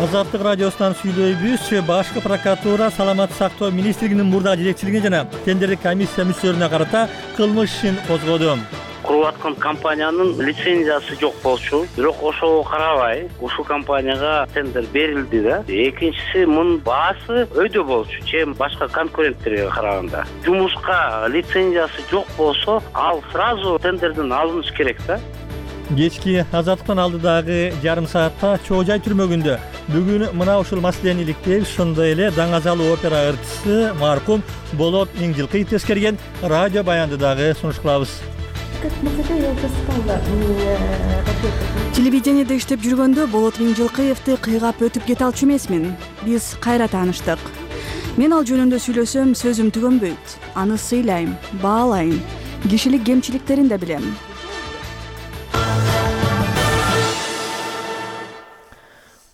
Азаттык радиосунан сүйлөйбүз. Башкы прокуратура Саламаттык сактоо министрлигинин мурдагы жетекчилигине жана тендердик комиссия мүчөлөрүнө карата кылмыш ишин козгоду. Куруп аткан компаниянын лицензиясы жок болчу. Бирок ошого карабай, ушул компанияга тендер берилди да. Экинчиси мунун баасы өйдө болчу, чем башка конкуренттерге караганда. Жумушка лицензиясы жок болсо, ал сразу тендерден алыныш керек да. Кечки Азаттыктан алдыдагы жарым саатта Чоо Жай түрмөгүндө бүгүн мына ушул маселени иликтейбиз. Ошондой эле Даңазалы опера ырчысы маркум Болот Миңжилкыев тескерген радио баянды дагы сунуш кылабыз. Телевидениеде иштеп жүргөндө Болот Миңжилкыевди кыйгап өтүп кете алчу эмесмин. Биз кайра тааныштык. Мен ал жөнүндө сүйлөсөм, сөзүм түгөнбөйт. Аны сыйлайм, баалайм. Кишилик кемчиликтерин да билем.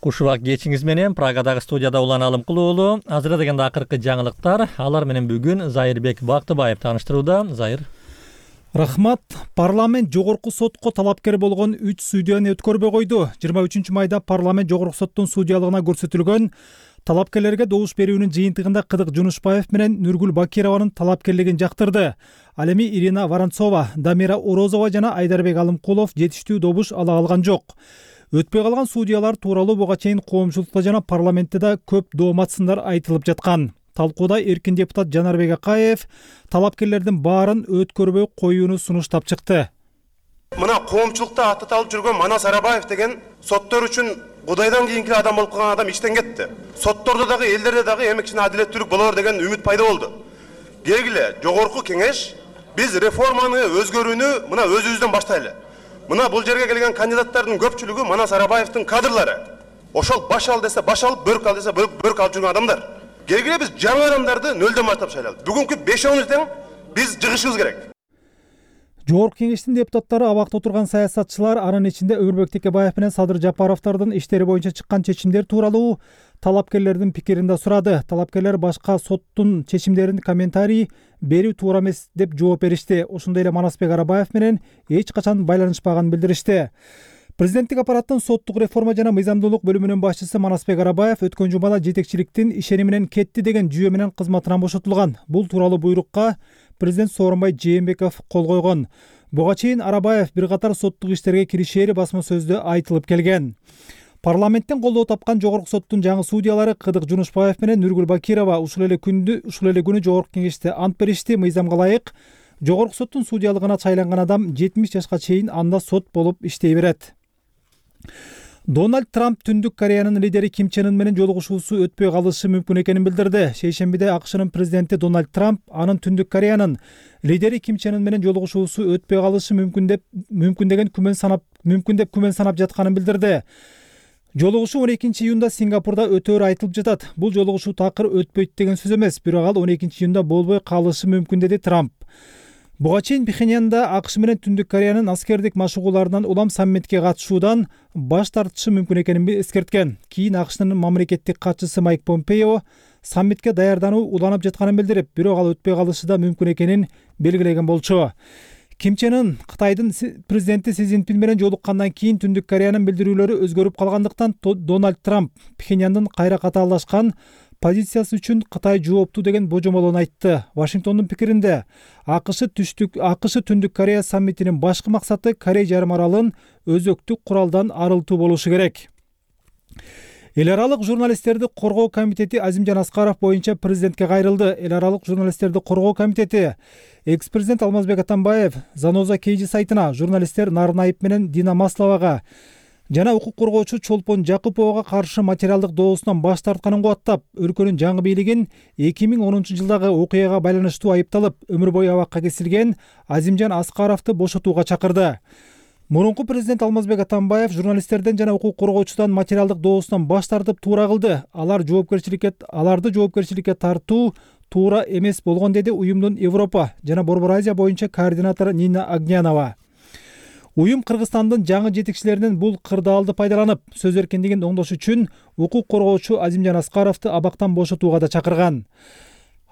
Кушубак кечиңиз менен Прагадагы студияда Улан Алым Кулуулу. Азыр дегенде акыркы жаңылыктар. Алар менен бүгүн Зайырбек Бактыбаев тааныштырууда. Зайыр. Рахмат. Парламент жогорку сотко талапкер болгон 3 судьяны өткөрбөй койду. 23 майда парламент жогорку соттун судьялыгына көрсөтүлгөн талапкерлерге добуш берүүнүн жыйынтыгында Кыдык Жунушбаев менен Нургүл Бакированын талапкерлигин жактырды. Ал эми Ирина Воронцова, Дамира Орозова жана Айдарбек Алымкулов жетиштүү добуш ала алган жок. Өтпөй калган судьялар тууралуу буга чейин коомчулукта жана парламентте да көп доомат сындар айтылып жаткан. Талкууда эркин депутат Жанарбек Акаев талапкерлердин баарын өткөрбөй коюуну сунуштап чыкты. Мына коомчулукта аттаталып жүргөн Манас Арабаев деген соттор үчүн Кудайдан кийинки адам болуп калган адам иштен кетти. Соттордо дагы, элдерде дагы эмгиче адилеттүүлүк болор деген үмүт пайда болду. Келгиле, жогорку кеңеш биз реформаны өзгөрүүнү мына өзүбүздөн баштайлы. Мына бул жерге келген кандидаттардын көпчүлүгү Манас Арабаевдин кадрлары. Ошол баш ал десе баш алып, бөрк ал десе бөрк алып жүргөн адамдар. Келгиле биз жаңы адамдарды нөлдөн баштап шайлайлы. Бүгүнкү 5-10 тең биз жыгышыбыз керек. Жогорку кеңештин депутаттары абакта отурган саясатчылар, анын ичинде Өмүрбек Текебаев менен Садыр Жапаровдордун иштери боюнча чыккан чечимдер тууралуу талапкерлердин пикирин да сурады. Талапкерлер башка соттун чечимдерин комментарий берүү туура эмес деп жооп беришти. Ошондой эле Манасбек Арабаев менен эч качан байланышпаганын билдиришти. Президенттик аппараттын соттук реформа жана мыйзамдуулук бөлүмүнүн башчысы Манасбек Арабаев өткөн жумада жетекчиликтин ишени менен кетти деген жүйө менен кызматынан бошотулган. Бул тууралуу буйрукка президент Сооронбай Жээнбеков кол койгон. Буга чейин Арабаев бир катар соттук иштерге киришери басма сөздө айтылып келген. Парламенттен колдоо тапкан жогорку соттун жаңы судьялары Кыдык Жунушбаев менен Нургүл Бакирова ушул эле күнү жогорку кеңеште ант беришти. Мыйзамга ылайык жогорку соттун судьялыгына шайланган адам 70 жашка чейин анда сот болуп иштей берет. Дональд Трамп Түндүк Кореянын лидери Ким Чен Ын менен жолугушуусу өтпөй калышы мүмкүн экенин билдирди. Шейшембиде АКШнын президенти Дональд Трамп анын Түндүк Кореянын лидери Ким Чен Ын менен жолугушуусу өтпөй калышы мүмкүн деп күмөн санап жатканын билдирди. Жолугушуу 12 июнда Сингапурда өтөөрү айтылып жатат. Бул жолугушуу такыр өтпөйт деген сөз эмес, бирок ал 12 июнда болбой калышы мүмкүн деди Трамп. Буга чейин Пхеньянда АКШ менен Түндүк Кореянын аскердик машыгууларынан улам саммитке катышуудан баш тартышы мүмкүн экенин эскерткен. Кийин АКШнын мамлекеттик катчысы Майк Помпео саммитке даярдануу уланып жатканын билдирип, бирок ал өтпөй калышы да мүмкүн экенин белгилеген болчу. Ким Чен Ын Кытайдын президенти Си Цзиньпин менен жолуккандан кийин Түндүк Кореянын билдирүүлөрү өзгөрүп калгандыктан Дональд Трамп Пхеньяндын кайра катаалдашкан позициясы үчүн Кытай жооптуу деген божомолун айтты. Вашингтондун пикиринде АКШ Түндүк Корея саммитинин башкы максаты Корей жарым аралын өзөктүк куралдан арылтуу болушу керек. Эл аралык журналисттерди коргоо комитети Азимжан Аскаров боюнча президентке кайрылды. Эл аралык журналисттерди коргоо комитети экс-президент Алмазбек Атамбаев Заноза Кейжи сайтына журналисттер Нарнаев менен Дина Масловага жана укук коргоочу Чолпон Жакуповага каршы материалдык доосунан баш тартканын кубаттап, өлкөнүн жаңы бийлигин 2010 жылдагы окуяга байланыштуу айыпталып, өмүр бою абакка кесилген Азимжан Аскаровду бошотууга чакырды. Мурунку президент Алмазбек Атамбаев журналисттерден жана укук коргоочудан материалдык доосунан баш тартып туура кылды. Аларды жоопкерчиликке тартуу туура эмес болгон, деди уюмдун Европа жана Борбор Азия боюнча координатору Нина Агнянова. Уюм Кыргызстандын жаңы жетекчилеринин бул кырдаалды пайдаланып, сөз эркиндигин оңдош үчүн укук коргоочу Азимжан Аскаровду абактан бошотууга да чакырган.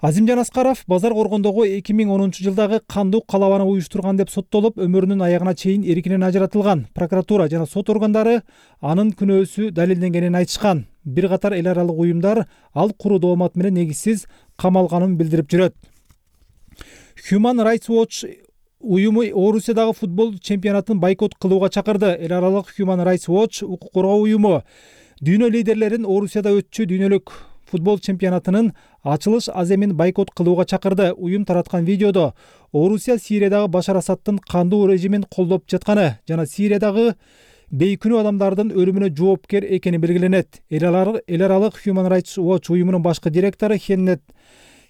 Азимжан Аскаров базар коргондогу 2010-жылдагы кандуу калабаны уюштурган деп соттолуп, өмүрүнүн аягына чейин эркинен ажыратылган. Прокуратура жана сот органдары анын күнөөсү далилденгенин айтышкан. Бир катар эл аралык уюмдар ал куру доомат менен негизсиз камалганын билдирип жүрөт. Human Rights Watch уюму Орусиядагы футбол чемпионатын бойкот кылууга чакырды. Эл аралык Human Rights Watch укук коргоо уюму дүйнө лидерлерин Орусияда өтчү дүйнөлүк футбол чемпионатынын ачылыш аземин бойкот кылууга чакырды. Уюм тараткан видеодо Орусия Сириядагы Башар Асадтын кандуу режимин колдоп жатканы жана Сириядагы бейкүнөө адамдардын өлүмүнө жоопкер экени белгиленет. Эл аралык Human Rights Watch уюмунун башкы директору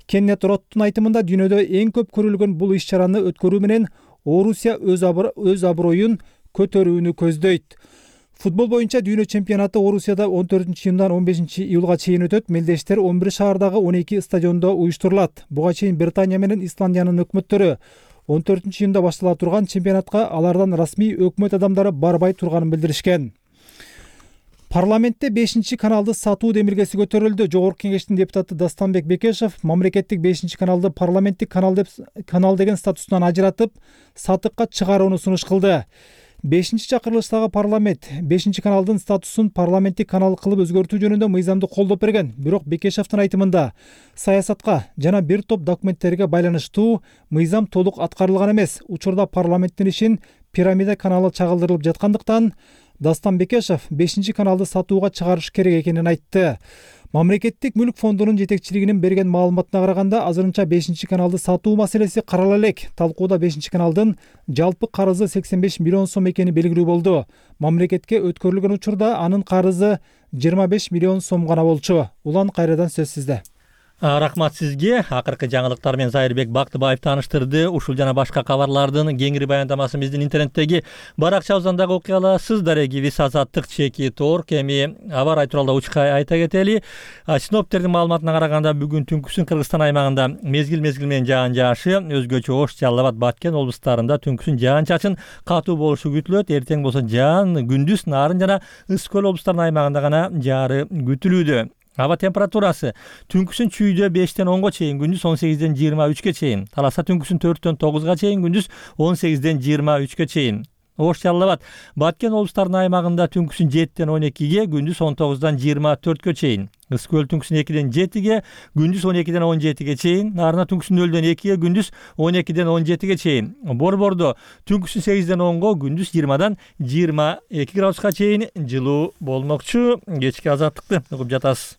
Кеннет Роттун айтымында дүйнөдө эң көп көрүлгөн бул иш-чараны өткөрүү менен Орусия өз аброюн көтөрүүнү көздөйт. Футбол боюнча дүйнө чемпионаты Орусияда 14-июндан 15-июлга чейин өтөт. Мелдештер 11 шаардагы 12 стадиондо уюштурулат. Буга чейин Британия менен Исландиянын өкмөттөрү 14-июнда баштала турган чемпионатка алардан расмий өкмөт адамдары барбай турганын билдиришкен. Парламентте 5-каналды сатуу демилгеси көтөрүлдү. Жогорку кеңештин депутаты Дастанбек Бекешев мамлекеттик 5-каналды парламенттик канал деген статусунан ажыратып, сатыкка чыгарууну сунуш кылды. 5-чакырылыштагы парламент 5-каналдын статусун парламенттик канал кылып өзгөртүү жөнүндө мыйзамды колдоп берген. Бирок Бекешевдин айтымында саясатка жана бир топ документтерге байланыштуу мыйзам толук аткарылган эмес. Учурда парламенттин ишин пирамида каналы чагылдырылып жаткандыктан Дастан Бекешев 5-каналды сатууга чыгарыш керек экенин айтты. Мамлекеттик мүлк фондунун жетекчилигинин берген маалыматына караганда, азырынча 5-каналды сатуу маселеси карала элек. Талкууда 5-каналдын жалпы карызы 85 миллион сом экени белгилүү болду. Мамлекетке өткөрүлгөн учурда анын карызы 25 миллион сом гана болчу. Улан кайрадан сөз сизде. Рахмат сизге. Акыркы жаңылыктар менен Зайырбек Бактыбаев тааныштырды. Ушул жана башка кабарлардын кеңири баяндамасын биздин интернеттеги баракчабыздагы окуя аласыз. Дарегибиз Азаттык чеки торк. Эми аба ырайы тууралуу учка айта кетели. Синоптиктердин маалыматына караганда бүгүн түнкүсүн Кыргызстан аймагында мезгил менен жаан жаашы, өзгөчө Ош, Жалал Абад, Баткен облустарында түнкүсүн жаан чачын катуу болушу күтүлөт. Эртең болсо жаан, күндүз Нарын жана Ысык көл облустарынын аймагында гана жаары күтүлүүдө. Аба температурасы түнкүсүн чүйдө 5-тен 10га чейин, күндүз 18-ден 23ке чейин. Таласа түнкүсүн 4-тен 9га чейин, күндүз 18-ден 23ке чейин. Ош, Жалал Абад, Баткен облустарынын аймагында түнкүсүн 7-тен 12ге, күндүз 19-дан 24кө чейин. Ысык көл түнкүсүн 2-ден 7ге, күндүз 12-ден 17ге чейин. Нарына түнкүсүн 0-дөн 2ге, күндүз 12-ден 17ге чейин. Борбордо түнкүсүн 8-ден 10га, күндүз 20-дан 22 градуска чейин жылуу болмокчу. Кечки азаттыкты угуп жатасыз.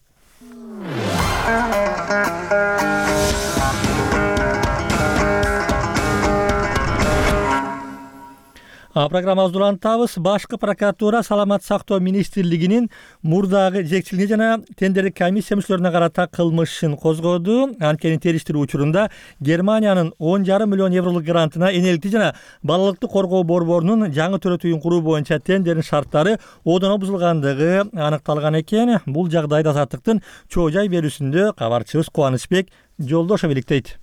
Программабызды улантабыз. Башкы прокуратура Саламат сактоо министрлигинин мурдагы жетекчилигине жана тендердик комиссия мүчөлөрүнө карата кылмыш ишин козгоду. Анткени териштирүү учурунда Германиянын 10,5 миллион евролук грантына энеликти жана балалыкты коргоо борборунун жаңы төрөт үйүн куруу боюнча тендердин шарттары одоно бузулгандыгы аныкталган экен. Бул жагдайда Азаттыктын чоо жай берүүсүндө кабарчыбыз Кубанычбек Жолдошов иликтейт.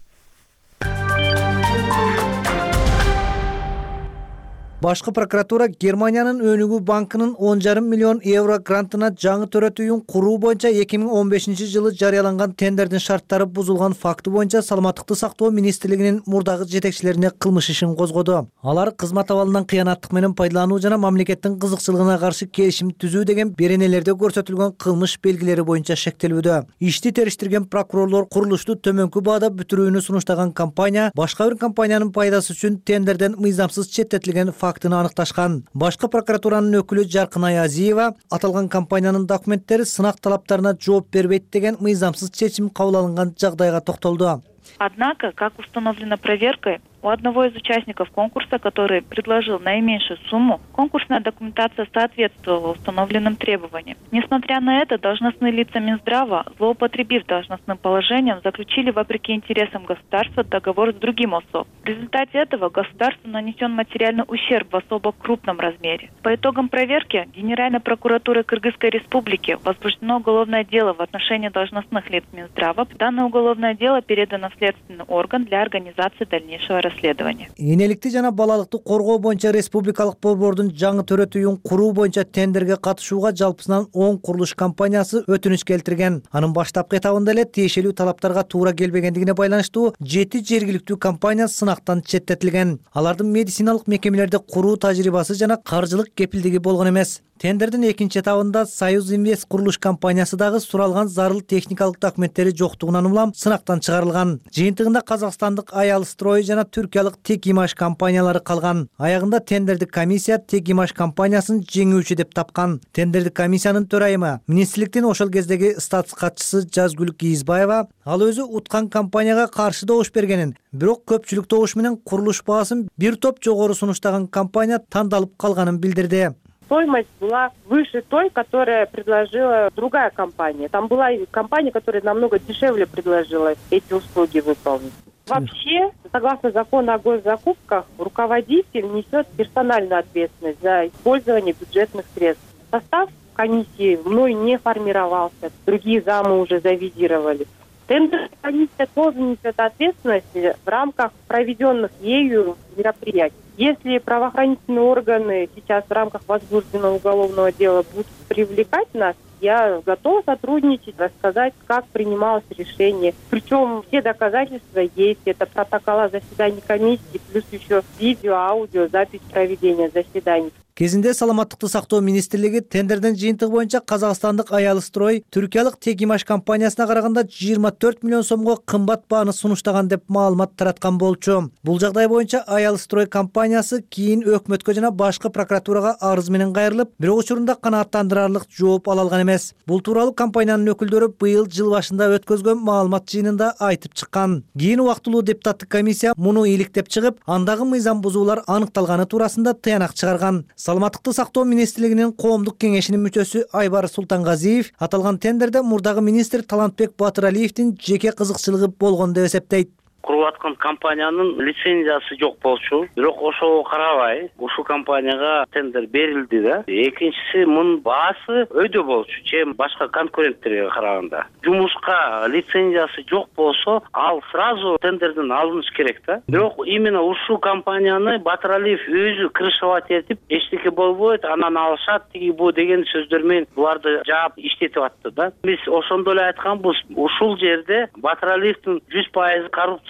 Башкы прокуратура Германиянын Өнүгүү банкынын 10,5 миллион евро грантына жаңы төрөт үйүн куруу боюнча 2015-жылы жарыяланган тендердин шарттары бузулган факты боюнча Саламаттыкты сактоо министрлигинин мурдагы жетекчилерине кылмыш ишин козгоду. Алар кызмат абалынан кыянаттык менен пайдалануу жана мамлекеттин кызыкчылыгына каршы келишим түзүү деген беренелерде көрсөтүлгөн кылмыш белгилери боюнча шектелүүдө. Ишти териштирген прокурорлор курулушту төмөнкү баада бүтүрүүнү сунуштаган компания башка бир компаниянын пайдасы үчүн тендерден мыйзамсыз четтетилген фактыны аныкташкан. Башкы прокуратуранын өкүлү Жаркынай Азиева аталган компаниянын документтери сынак талаптарына жооп бербейт деген мыйзамсыз чечим кабыл алынган жагдайга токтолду. Однако, как установлено проверкой, У одного из участников конкурса, который предложил наименьшую сумму, конкурсная документация соответствовала установленным требованиям. Несмотря на это, должностные лица Минздрава, злоупотребив должностным положением, заключили вопреки интересам государства договор с другим ОСО. В результате этого государству нанесен материальный ущерб в особо крупном размере. По итогам проверки Генеральной прокуратуры Кыргызской Республики возбуждено уголовное дело в отношении должностных лиц Минздрава. Данное уголовное дело передано в следственный орган для организации дальнейшего расследования. Энеликти жана балалыкты коргоо боюнча республикалык борбордун жаңы төрөтүүн куруу боюнча тендерге катышууга жалпысынан 10 курулуш компаниясы өтүнүч келтирген. Анын баштапкы этабында эле тиешелүү талаптарга туура келбегендигине байланыштуу 7 жергиликтүү компания сынактан четтетилген. Алардын медициналык мекемелерде куруу тажрыйбасы жана каржылык кепилдиги болгон эмес. Тендердин экинчи этабында Союз Инвест курулуш компаниясы дагы суралган зарыл техникалык документтери жоктугунан улам сынактан чыгарылган. Жыйынтыгында казакстандык Аялстрой жана түркиялык Текимаш компаниялары калган. Аягында тендердик комиссия Текимаш компаниясын жеңүүчү деп тапкан. Тендердик комиссиянын төрайымы, министрликтин ошол кездеги статус катчысы Жазгүл Кийизбаева ал өзү уткан компанияга каршы добуш бергенин, бирок көпчүлүк добуш менен курулуш баасын бир топ жогору сунуштаган компания тандалып калганын билдирди. Стоимость была выше той, которая предложила другая компания. Там была компания, которая намного дешевле предложила эти услуги выполнить. Вообще, согласно закону о госзакупках, руководитель несет персональную ответственность за использование бюджетных средств. Состав комиссии мной не формировался, другие замы уже завизировали. Тендерная комиссия тоже несет ответственность в рамках проведенных ею мероприятий. Если правоохранительные органы сейчас в рамках возбужденного уголовного дела будут привлекать нас, я готова сотрудничать, рассказать, как принималось решение. Причем все доказательства есть. Это протокола заседаний комиссии, плюс еще видео, аудио, запись проведения заседаний. Кезинде саламаттыкты сактоо министрлиги тендердин жыйынтыгы боюнча казакстандык Аялстрой түркиялык Текимаш компаниясына караганда 24 миллион сомго кымбат бааны сунуштаган деп маалымат тараткан болчу. Бул жагдай боюнча Аялстрой компаниясы кийин өкмөткө жана башкы прокуратурага арыз менен кайрылып, бирок учурунда канааттандырарлык жооп ала алган эмес. Бул тууралуу компаниянын өкүлдөрү быйыл жыл башында өткөзгөн маалымат жыйынында айтып чыккан. Кийин убактылуу депутаттык комиссия муну иликтеп чыгып, андагы мыйзам бузуулар аныкталганы туурасында тыянак чыгарган. Саламаттыкты сактоо министрлигинин коомдук кеңешинин мүчөсү Айбар Султангазиев аталган тендерде мурдагы министр Талантбек Батыралиевдин жеке кызыкчылыгы болгон деп эсептейт. Куруп аткан компаниянын лицензиясы жок болчу, бирок ошого карабай ушул компанияга тендер берилди да. Экинчиси мунун баасы өйдө болчу, чем башка конкуренттерге караганда. Жумушка лицензиясы жок болсо, ал сразу тендерден алыныш керек да. Бирок именно ушул компанияны Батыралиев өзү крышевать этип, эчтеке болбойт, анан алышат, тиги бу деген сөздөр менен буларды жаап иштетип атты да. Биз ошондо эле айтканбыз, ушул жерде Батыралиевдин 100% коррупция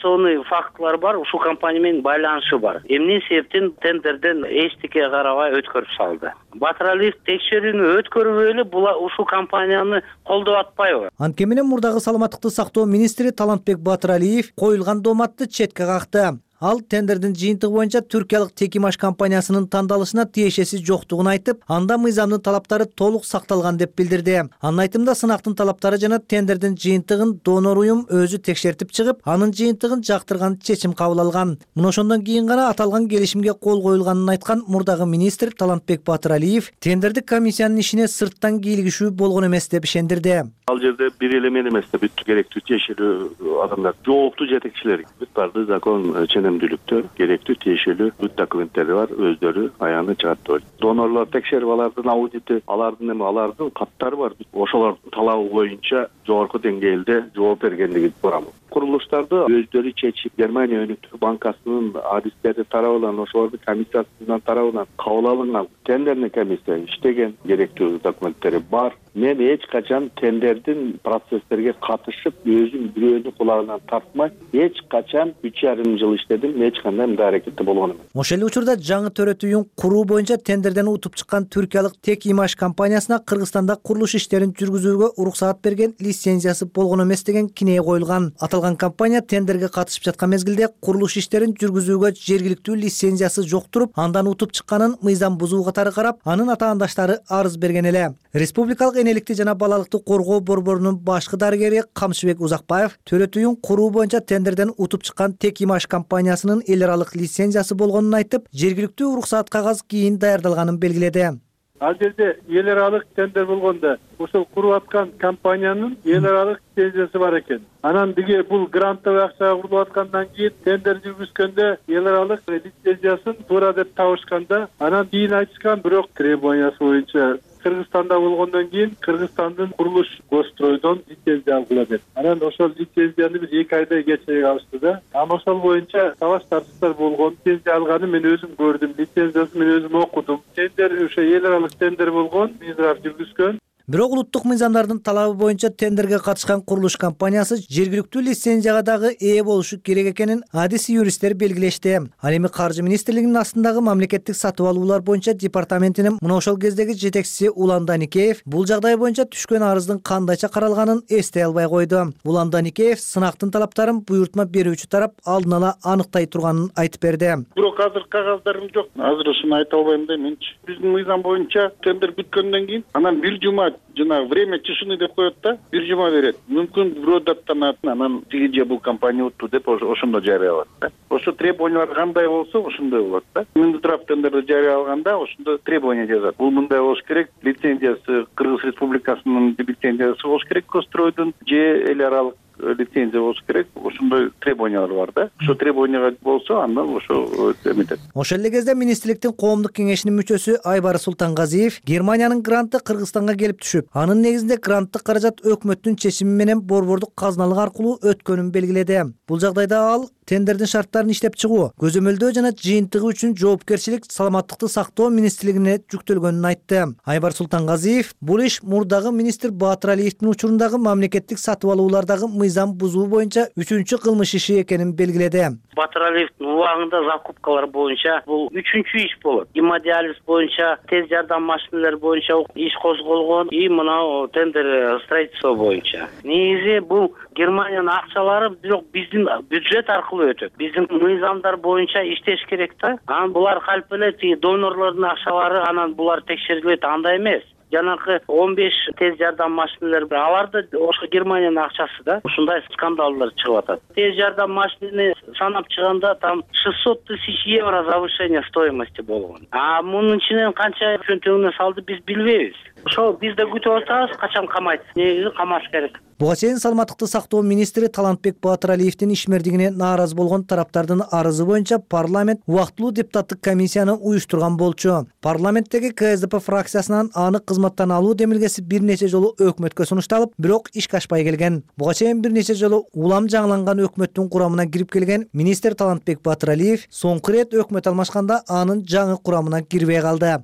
фактылар бар, ушул компания менен байланышы бар. Эмне себептен тендерден эчтеке карабай өткөрүп салды. Батыралиев текшерүүнү өткөрүп эле ушул компанияны колдоп атпайбы? Анткени менен мурдагы саламаттыкты сактоо министри Талантбек Батыралиев коюлган дооматты четке какты. Ал тендердин жыйынтыгы боюнча түркиялык Текимаш компаниясынын тандалышына тиешеси жоктугун айтып, анда мыйзамдын талаптары толук сакталган деп билдирди. Анын айтымында сынактын талаптары жана тендердин жыйынтыгын донор уюм өзү текшертип чыгып, анын жыйынтыгын жактырган чечим кабыл алган. Мына ошондон кийин гана аталган келишимге кол коюлганын айткан мурдагы министр Талантбек Батыралиев тендердик комиссиянын ишине сырттан кийлигишүү болгон эмес деп ишендирди. Ал жерде бир эле мен эмес да, бүт керектүү тиешелүү адамдар, жооптуу жетекчилер, бүт барды закон ченемдүүлүктөр, керектүү тиешелүү бүт документтери бар, өздөрү аягына чыгат деп. Донорлор текшерип алардын аудити, алардын каттары бар. Ошолордун талабы боюнча жогорку деңгээлде жооп бергендиги барамын. Курулуштарды өздөрү чечип, Германия өнүктүү банкасынын адистери тарабынан, ошолордун комиссиясынын тарабынан кабыл алынган тендерный комиссия иштеген, керектүү документтери бар. Мен эч качан тендердин процесстерге катышып, өзүм бирөөнүн кулагынан тартмай, эч качан 3,5 жыл иштедим, эч кандай мындай аракетте болгон эмес. Ошол эле учурда жаңы төрөтүүн куруу боюнча тендерден утуп чыккан түркиялык Текимаш компаниясына Кыргызстанда курулуш иштерин жүргүзүүгө уруксаат берген лицензиясы болгон эмес деген кинее коюлган. аталган компания тендерге катышып жаткан мезгилде курулуш иштерин жүргүзүүгө жергиликтүү лицензиясы жок туруп, андан утуп чыкканын мыйзам бузуу катары карап, анын атаандаштары арыз берген эле. Республикалык энеликти жана балалыкты коргоо борборунун башкы дарыгери Камшыбек Узакбаев төрөтүйүн куруу боюнча тендерден утуп чыккан Тек Имаш компаниясынын эл аралык лицензиясы болгонун айтып, жергиликтүү уруксат кагаз кийин даярдалганын белгиледи. Ал жерде эл аралык тендер болгондо ошол куруп аткан компаниянын эл аралык лицензиясы бар экен. Анан биге бул грантовый акчага курулуп аткандан кийин тендер жүргүзгөндө эл аралык лицензиясын туура деп табышканда, анан кийин айтышкан, бирок требованиясы боюнча Кыргызстанда болгондон кийин Кыргызстандын курулуш госстройдон лицензия алгыла деп. Анан ошол лицензияны биз 2 айдай кечирээк алышты да. Ошол боюнча талаш тартыштар болгон. Лицензия алганы мен өзүм көрдүм. Лицензиясын мен өзүм окудум. Тендер ошо эл аралык тендер болгон, Минздрав жүргүзгөн. Бирок улуттук мыйзамдардын талабы боюнча тендерге катышкан курулуш компаниясы жергиликтүү лицензияга дагы ээ болушу керек экенин адис юристтер белгилешти. Ал эми Каржы министрлигинин астындагы мамлекеттик сатып алуулар боюнча департаментинин мына ошол кездеги жетекчиси Улан Даникеев бул жагдай боюнча түшкөн арыздын кандайча каралганын эстей албай койду. Улан Даникеев сынактын талаптарын буйрутма берүүчү тарап алдын ала аныктай турганын айтып берди. Бирок азыр кагаздарым жок. Азыр ушуну айта албайм да менчи. Биздин мыйзам боюнча тендер бүткөндөн кийин анан 1 жума жана время тишины деп коет да, 1 жума берет. Мүмкүн бирөө даттанат, анан тиги же бул компания утту деп ошондо жарыялат да. Ошо требованиялар кандай болсо ошондой болот да. Минздрав тендерди жарыялаганда ошондо требование жазат. Бул мындай болуш керек, лицензиясы Кыргыз Республикасынын лицензиясы болуш керек, Костройдун же эл аралык лицензия болуш керек, ошондой требованиялар бар да. Ошо требованияга болсо андан ошо эметет. Ошол эле кезде министрликтин коомдук кеңешинин мүчөсү Айбар Султангазиев Германиянын гранты Кыргызстанга келип түшүп, анын негизинде гранттык каражат өкмөттүн чечими менен борбордук казналык аркылуу өткөнүн белгиледи. Бул жагдайда ал тендердин шарттарын иштеп чыгуу, көзөмөлдөө жана жыйынтыгы үчүн жоопкерчилик саламаттыкты сактоо министрлигине жүктөлгөнүн айтты. Айбар Султангазиев бул иш мурдагы министр Баатыр Алиевдин учурундагы мамлекеттик сатып алуулардагы мыйзам бузуу боюнча 3-чү кылмыш иши экенин белгиледи. Баатыр Алиевдин убагында закупкалар боюнча бул 3-чү иш болот. Гемодиализ боюнча, тез жардам машиналары боюнча иш козголгон и мына тендер строительство боюнча. Негизи бул Германиянын акчалары бирок биздин бюджет аркылуу өтөт. Биздин мыйзамдар боюнча иштеш керек да. Анан булар калп эле донорлордун акчалары, анан булар текшерилет, андай эмес. Жанакы 15 тез жардам машиналары аларды ошо Германиянын акчасы да. Ушундай скандалдар чыгып атат. Тез жардам машинаны санап чыганда там 600 тысяч евро завышение стоимости болгон. А мунун ичинен канча чөнтөгүнө салды биз билбейбиз. Ошо биз да күтүп атабыз, качан камайт. Негизи камаш керек. Буга чейин саламаттыкты сактоо министри Талантбек Баатыр Алиевдин ишмердигине нааразы болгон тараптардын арызы боюнча парламент убактылуу депутаттык комиссияны уюштурган болчу. Парламенттеги КСДП фракциясынан аны кызматтан алуу демилгеси бир нече жолу өкмөткө сунушталып, бирок ишке ашпай келген. Буга чейин бир нече жолу улам жаңыланган өкмөттүн курамына кирип келген министр Талантбек Баатыр Алиев соңку ирет өкмөт алмашканда анын жаңы курамына кирбей калды.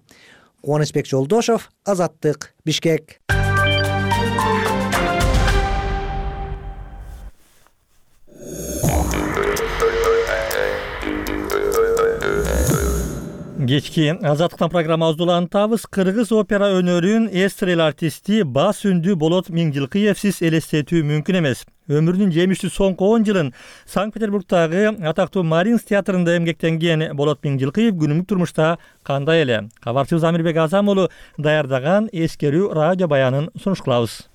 Кубанычбек Жолдошов, Азаттык, Бишкек. Кечки Азаттыктан программабызды улантабыз. Кыргыз опера өнөрүн эстрел артисти Бас үндүү Болот Миңжилкыевсиз элестетүү мүмкүн эмес. Өмүрүнүн жемиштүү соңку 10 жылын Санкт-Петербургдагы атактуу Маринс театрында эмгектенген Болот Миңжилкыев күнүмдүк турмушта кандай эле? Кабарчыбыз Амирбек Азам уулу даярдаган эскерүү радио баянын сунуш кылабыз.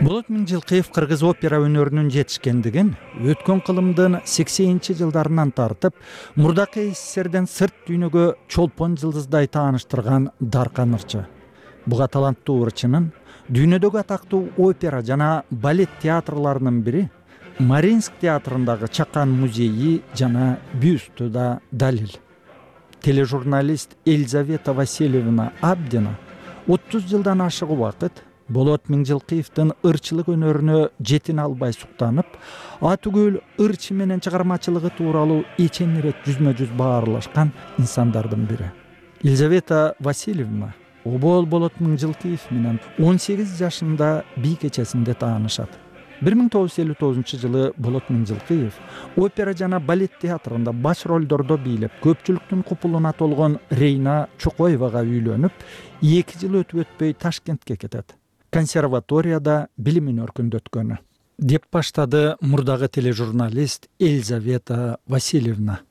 Болот Миңжилкыев кыргыз опера өнөрүнүн жетишкендигин өткөн кылымдын 80-жылдарынан тартып, мурдакы СССРден сырт дүйнөгө чолпон жылдыздай тааныштырган даркан ырчы. Буга таланттуу ырчынын дүйнөдөгү атактуу опера жана балет театрларынын бири Маринск театрындагы Чакан музейи жана бюсту да далил. Тележурналист Елизавета Васильевна Абдина 30 жылдан ашык убакыт Болот Миңжилкыевдин ырчылык өнөрүнө жетине албай суктанып, атүгүл ырчы менен чыгармачылыгы тууралуу эчен ирет жүзмө-жүз баарлашкан инсандардын бири. Елизавета Васильевна обол Болот Миңжилкыев менен 18 жашында бий кечесинде таанышат. 1959 Болот Миңжилкыев опера жана балет театрында баш ролдордо бийлеп, көпчүлүктүн купулуна толгон Рейна Чокоевага үйлөнүп, 2 жыл өтүп өтпөй Ташкентке кетет. Консерваторияда билимин өркүндөткөнү деп баштады мурдагы тележурналист Елизавета Васильевна.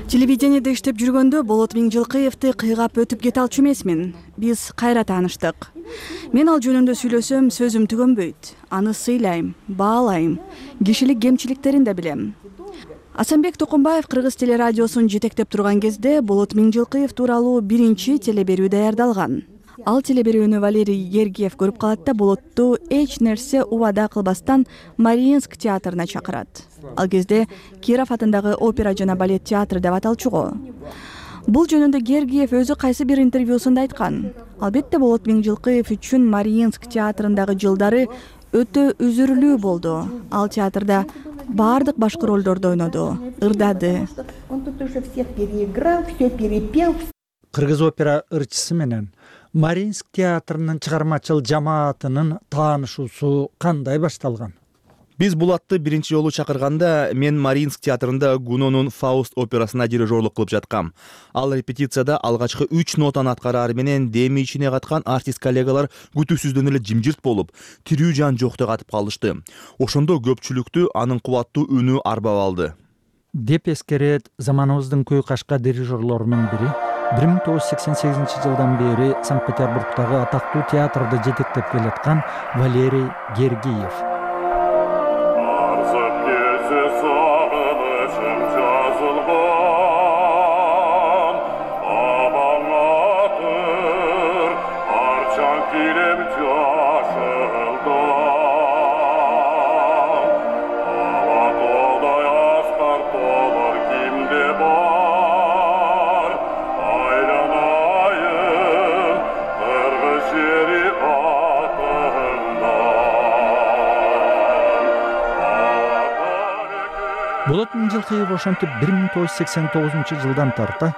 Телевидениеде иштеп жүргөндө Болот Миңжилкыевди кыйгап өтүп кете алчу эмесмин. Биз кайра тааныштык. Мен ал жөнүндө сүйлөсөм, сөзүм түгөнбөйт. Аны сыйлайм, баалайм, кишилик кемчиликтерин да билем. Асанбек Токумбаев Кыргыз телерадиосун жетектеп турган кезде Болот Миңжилкыев тууралуу биринчи телеберүү даярдалган. Ал телеберүүнү Валерий Гергиев көрүп калат да Болотту эч нерсе убада кылбастан Мариинск театрына чакырат. Ал кезде Киров атындагы опера жана балет театры деп аталчуго. Бул жөнүндө Гергиев өзү кайсы бир интервьюсунда айткан. Албетте Болот Миңжилкыев үчүн Мариинск театрындагы жылдары өтө үзүрүлүү болду. Ал театрда бардык башкы ролдорду ойноду, ырдады. Кыргыз опера ырчысы менен Мариинск театрынын чыгармачыл жамаатынын таанышуусу кандай башталган? Биз Булатты биринчи жолу чакырганда мен Мариинск театрында Гунонун Фауст операсына дирижерлук кылып жаткам. Ал репетицияда алгачкы 3 нотаны аткараар менен деми ичине каткан артист коллегалар күтүүсүздөн эле жимжирт болуп, тирүү жан жоктой катып калышты. Ошондо көпчүлүктү анын кубаттуу үнү арбап алды. Деп эскерет заманыбыздын көй кашка дирижерлорунун бири 1988 жылдан бери Санкт-Петербургдагы атактуу театрды жетектеп келаткан Валерий Гергиев. Болот Миңжилкыев ошентип 1989 жылдан тарта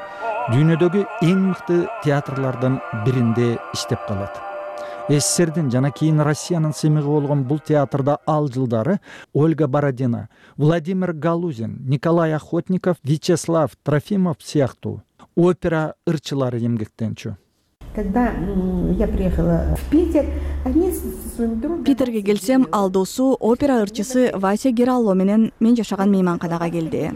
дүйнөдөгү эң мыкты театрлардын биринде иштеп калат. СССРдин жана кийин Россиянын сыймыгы болгон бул театрда ал жылдары Ольга Бородина, Владимир Галузин, Николай Охотников, Вячеслав Трофимов сыяктуу опера ырчылары эмгектенчү. Когда я приехала в Питер, они с своим другом... Питерге келсем, ал досу опера ырчысы Вася Гералло менен мен жашаган мейманканага келди.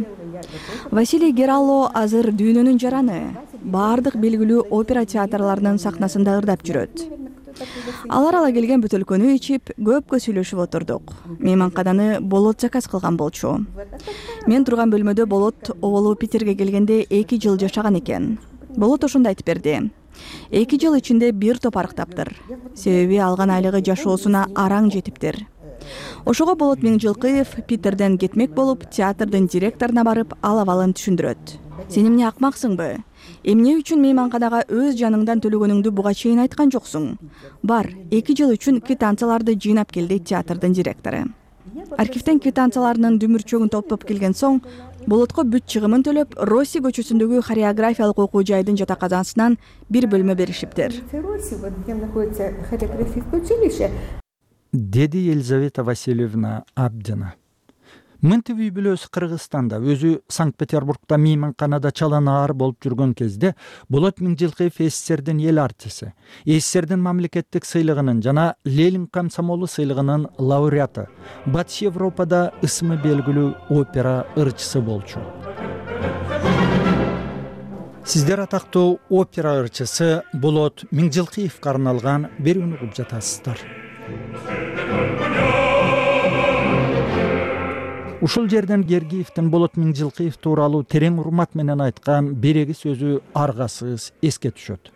Василий Гералло азыр дүйнөнүн жараны. Бардык белгилүү опера театрларынын сахнасында ырдап жүрөт. Алар ала келген бөтөлкөнү ичип, көпкө сүйлөшүп отурдук. Мейманкананы Болот заказ кылган болчу. Мен турган бөлмөдө Болот оболу Питерге келгенде 2 жыл жашаган экен. Болот ошондо айтып берди. 2 жыл ичинде бир топ арыктаптыр. Себеби алган айлыгы жашоосуна араң жетиптир. Ошого Болот Миңжилкыев Питерден кетмек болуп, театрдын директоруна барып, ал абалын түшүндүрөт. Сен эмне акмаксыңбы? Эмне үчүн мейманканага өз жаныңдан төлөгөнүңдү буга чейин айткан жоксуң? Бар, 2 жыл үчүн квитанцияларды жыйнап кел дейт театрдын директору. Архивден квитанцияларынын дүмүрчөгүн топтоп келген соң, Болотко бүт чыгымын төлөп, Росси көчөсүндөгү хореографиялык окуу жайдын жатаканасынан бир бөлмө беришиптир. Деди Елизавета Васильевна Абдина. Мынтип үй бүлөсү Кыргызстанда, өзү Санкт-Петербургда мейманканада чаланаар болуп жүргөн кезде Болот Миңжилкыев СССРдин эл артиси, СССРдин мамлекеттик сыйлыгынын жана Ленин комсомолу сыйлыгынын лауреаты, Батыш Европада ысымы белгилүү опера ырчысы болчу. Сиздер атактуу опера ырчысы Болот Миңжилкыевге арналган берүүнү угуп жатасыздар. Ушул жерден Гергиевдин Болот Миңжилкыев тууралуу терең урмат менен айткан береги сөзү аргасыз эске түшөт.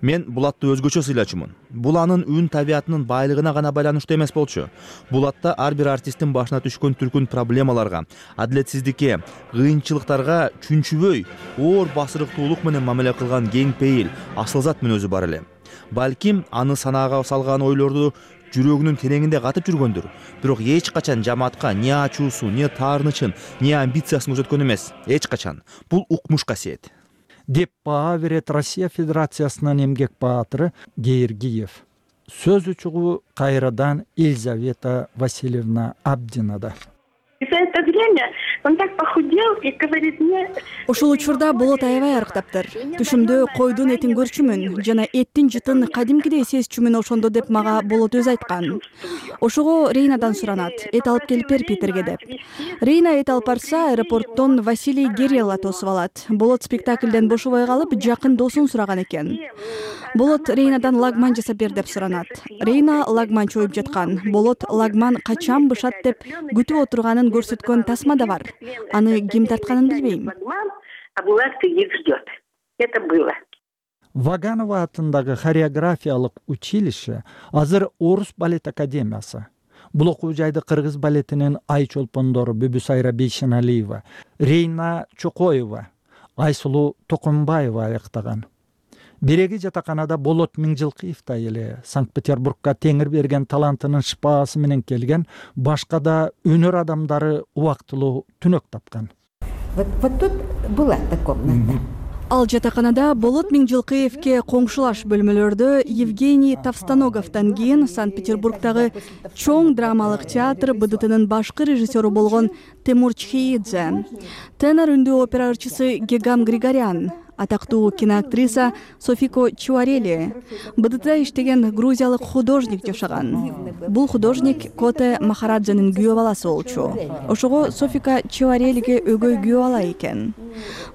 Мен Булатты өзгөчө сыйлачумун. Бул анын үн табиятынын байлыгына гана байланыштуу эмес болчу. Булатта ар бир артисттин башына түшкөн түркүн проблемаларга, адилетсиздикке, кыйынчылыктарга чүнчүбөй, оор басырыктуулук менен мамиле кылган кең пейил, асылзат мүнөзү бар эле. Балким аны санаага салган ойлорду жүрөгүнүн тереңинде катып жүргөндүр. Бирок эч качан жамаатка не ачуусу, не таарынычын, не амбициясын көрсөткөн эмес. Эч качан. Бул укмуш касиет. Деп баа берет Россия Федерациясынын эмгек баатыры Гергиев. сөз учугу кайрадан Елизавета Васильевна Абдинада. За это время он так похудел и говорит мне... Ошол учурда болот аябай арыктаптыр. Түшүмдө койдун этин көрчүмүн жана эттин жытын кадимкидей сезчүмүн ошондо деп мага болот өзү айткан. Ошого Рейнадан суранат, эт алып келип бер Питерге деп. Рейна эт алып барса, аэропорттон Василий Герелла тосуп алат. Болот спектакльден бошобой калып, жакын досун сураган экен. Болот Рейнадан лагман жасап бер деп суранат. Рейна лагман чоюп жаткан. Болот лагман качан бышат деп күтүп отурганын көрсөткөн тасма да бар. Аны ким тартканын билбейм. А Булат сидит, ждет. Это было. Ваганова атындагы хореографиялык училище азыр Орус балет академиясы. Бул окуу жайды кыргыз балетинин ай чолпондору Бүбүсайра Бейшеналиева, Рейна Чокоева, Айсулуу Токонбаева аяктаган. Биреги жатаканада Болот Миңжилкыев эле Санкт-Петербургка теңир берген талантынын шыпаасы менен келген башка да өнөр адамдары убактылуу түнөк тапкан. Вот тут была эта комната. Ал жатаканада Болот Миңжилкыевке коңшулаш бөлмөлөрдө Евгений Товстоноговдон кийин Санкт-Петербургдагы чоң драмалык театр БДТнын башкы режиссеру болгон Темур Чхеидзе, тенор үндүү опера ырчысы Гегам Григорян, атактуу киноактриса Софико Чуарели, БДТда иштеген грузиялык художник жашаган. Бул художник Коте Махараджанын күйөө баласы болчу. Ошого Софика Чуарелиге өгөй күйөө бала экен.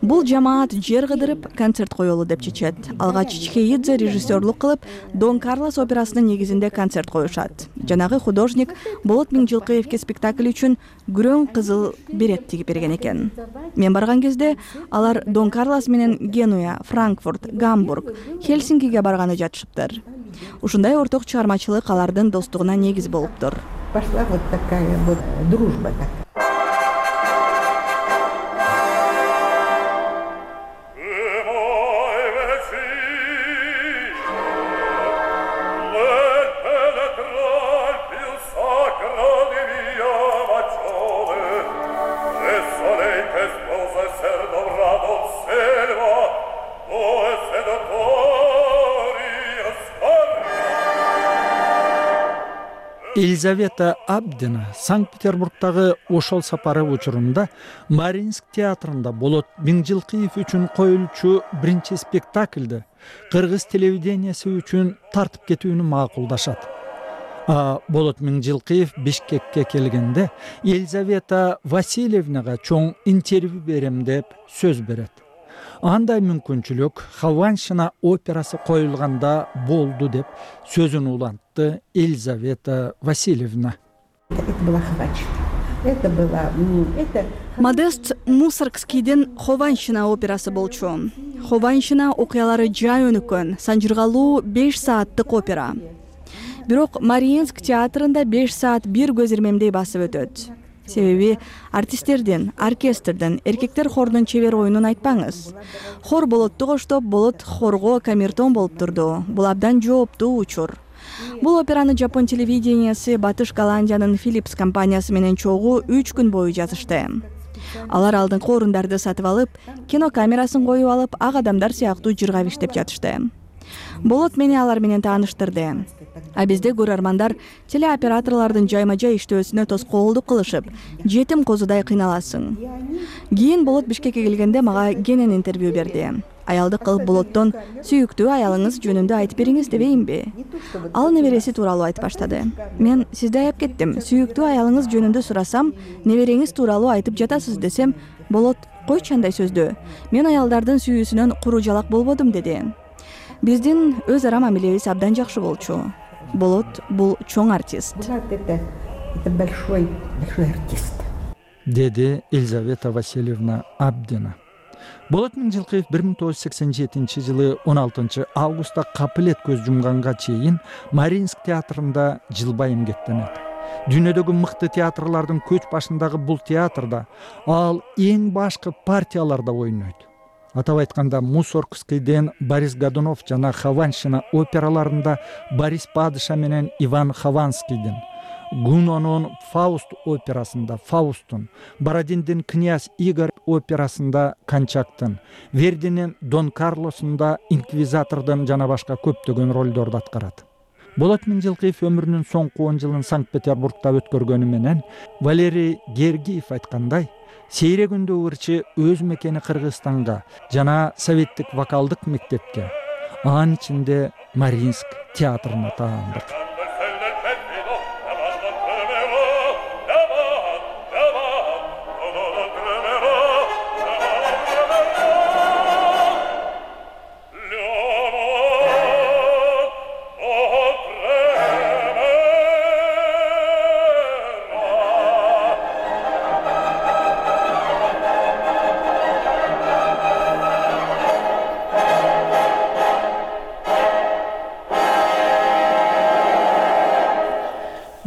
Бул жамаат жер кыдырып концерт коелу деп чечет. Алгач Чхеидзе режиссерлук кылып Дон Карлос операсынын негизинде концерт коюшат. Жанагы художник Болот Миңжилкыевке спектакль үчүн күрөң кызыл берет тигип берген экен. Мен барган кезде алар Дон Карлос менен Генуя, Франкфурт, Гамбург, Хельсинкиге барганы жатышыптыр. Ушундай орток чыгармачылык алардын достугуна негиз болуптур. Пошла вот такая вот дружба такая. Елизавета Абдина Санкт-Петербургдагы ошол сапары учурунда Мариинск театрында Болот Миңжилкыев үчүн коюлчу биринчи спектакльди кыргыз телевидениясы үчүн тартып кетүүнү макулдашат. Болот Миңжилкыев Бишкекке келгенде Елизавета Васильевнага чоң интервью берем деп сөз берет. Андай мүмкүнчүлүк Хованщина операсы коюлганда болду деп сөзүн улантты Елизавета Васильевна. Модест Мусоргскийдин Хованщина операсы болчу. Хованщина окуялары жай өнүккөн, санжыргалуу 5 сааттык опера. Бирок Мариинск театрында 5 саат бир көз ирмемдей басып өтөт. Себеби артисттердин, оркестрдин, эркектер хордун чебер оюнун айтпаңыз. Хор болотту коштоп, болот хорго камертон болуп турду. Бул абдан жооптуу учур. Бул операны Жапон телевидениясы Батыш Голландиянын Philips компаниясы менен чогуу 3 күн бою жазышты. Алар алдыңкы орундарды сатып алып, кинокамерасын коюп алып, ак адамдар сыяктуу жыргап иштеп жатышты. Болот мени алар менен тааныштырды. А бизде көрөрмандар телеоператорлордун жайма-жай иштөөсүнө тоскоолдук кылышып, жетим козудай кыйналасың. Кийин Болот Бишкекке келгенде мага кенен интервью берди. Аялдык кылып Болоттон сүйүктүү аялыңыз жөнүндө айтып бериңиз дебейинби? Ал небереси тууралуу айтып баштады. Мен сизди аяп кеттим. Сүйүктүү аялыңыз жөнүндө сурасам, небереңиз тууралуу айтып жатасыз десем, Болот койчу андай сөздү. Мен аялдардын сүйүүсүнөн куру жалак болбодум деди. Биздин өз ара мамилебиз абдан жакшы болчу. Болот бул чоң артист. Это большой артист. Деди Елизавета Васильевна Абдина. Болот Миңжилкыев 1987 жылы 16 августта капылет көз жумганга чейин Мариинск театрында жылбай эмгектенет. Дүйнөдөгү мыкты театрлардын көч башындагы бул театрда ал эң башкы партияларда ойнойт. Атап айтканда Мусоргскийден Борис Годунов жана Хованщина операларында Борис Падыша менен Иван Хованскийдин, Гунонун Фауст операсында Фаустун, Бородиндин Князь Игорь операсында Кончактын, Вердинин Дон Карлосунда Инквизатордун жана башка көптөгөн ролдорду аткарат. Болот Миңжилкыев өмүрүнүн соңку 10 жылын Санкт-Петербургда өткөргөнү менен Валерий Гергиев айткандай, сейрегүндө ырчы өз мекени Кыргызстанга жана советтик вокалдык мектепке, анын ичинде Мариинск театрына таандык.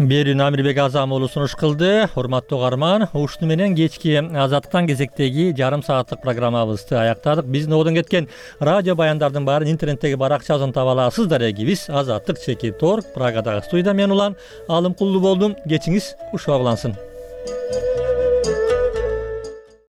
Берүүнү Амирбек Азам уулу сунуш кылды. Урматтуу угарман, ушуну менен кечки Азаттыктан кезектеги жарым сааттык программабызды аяктадык. Биздин одон кеткен радио баяндардын баарын интернеттеги баракчабыздан таба аласыздар. Биз Азаттык /Tor Прагадагы студияда мен улан Алымкулду болдум. Кечиңиз ушуга улансын.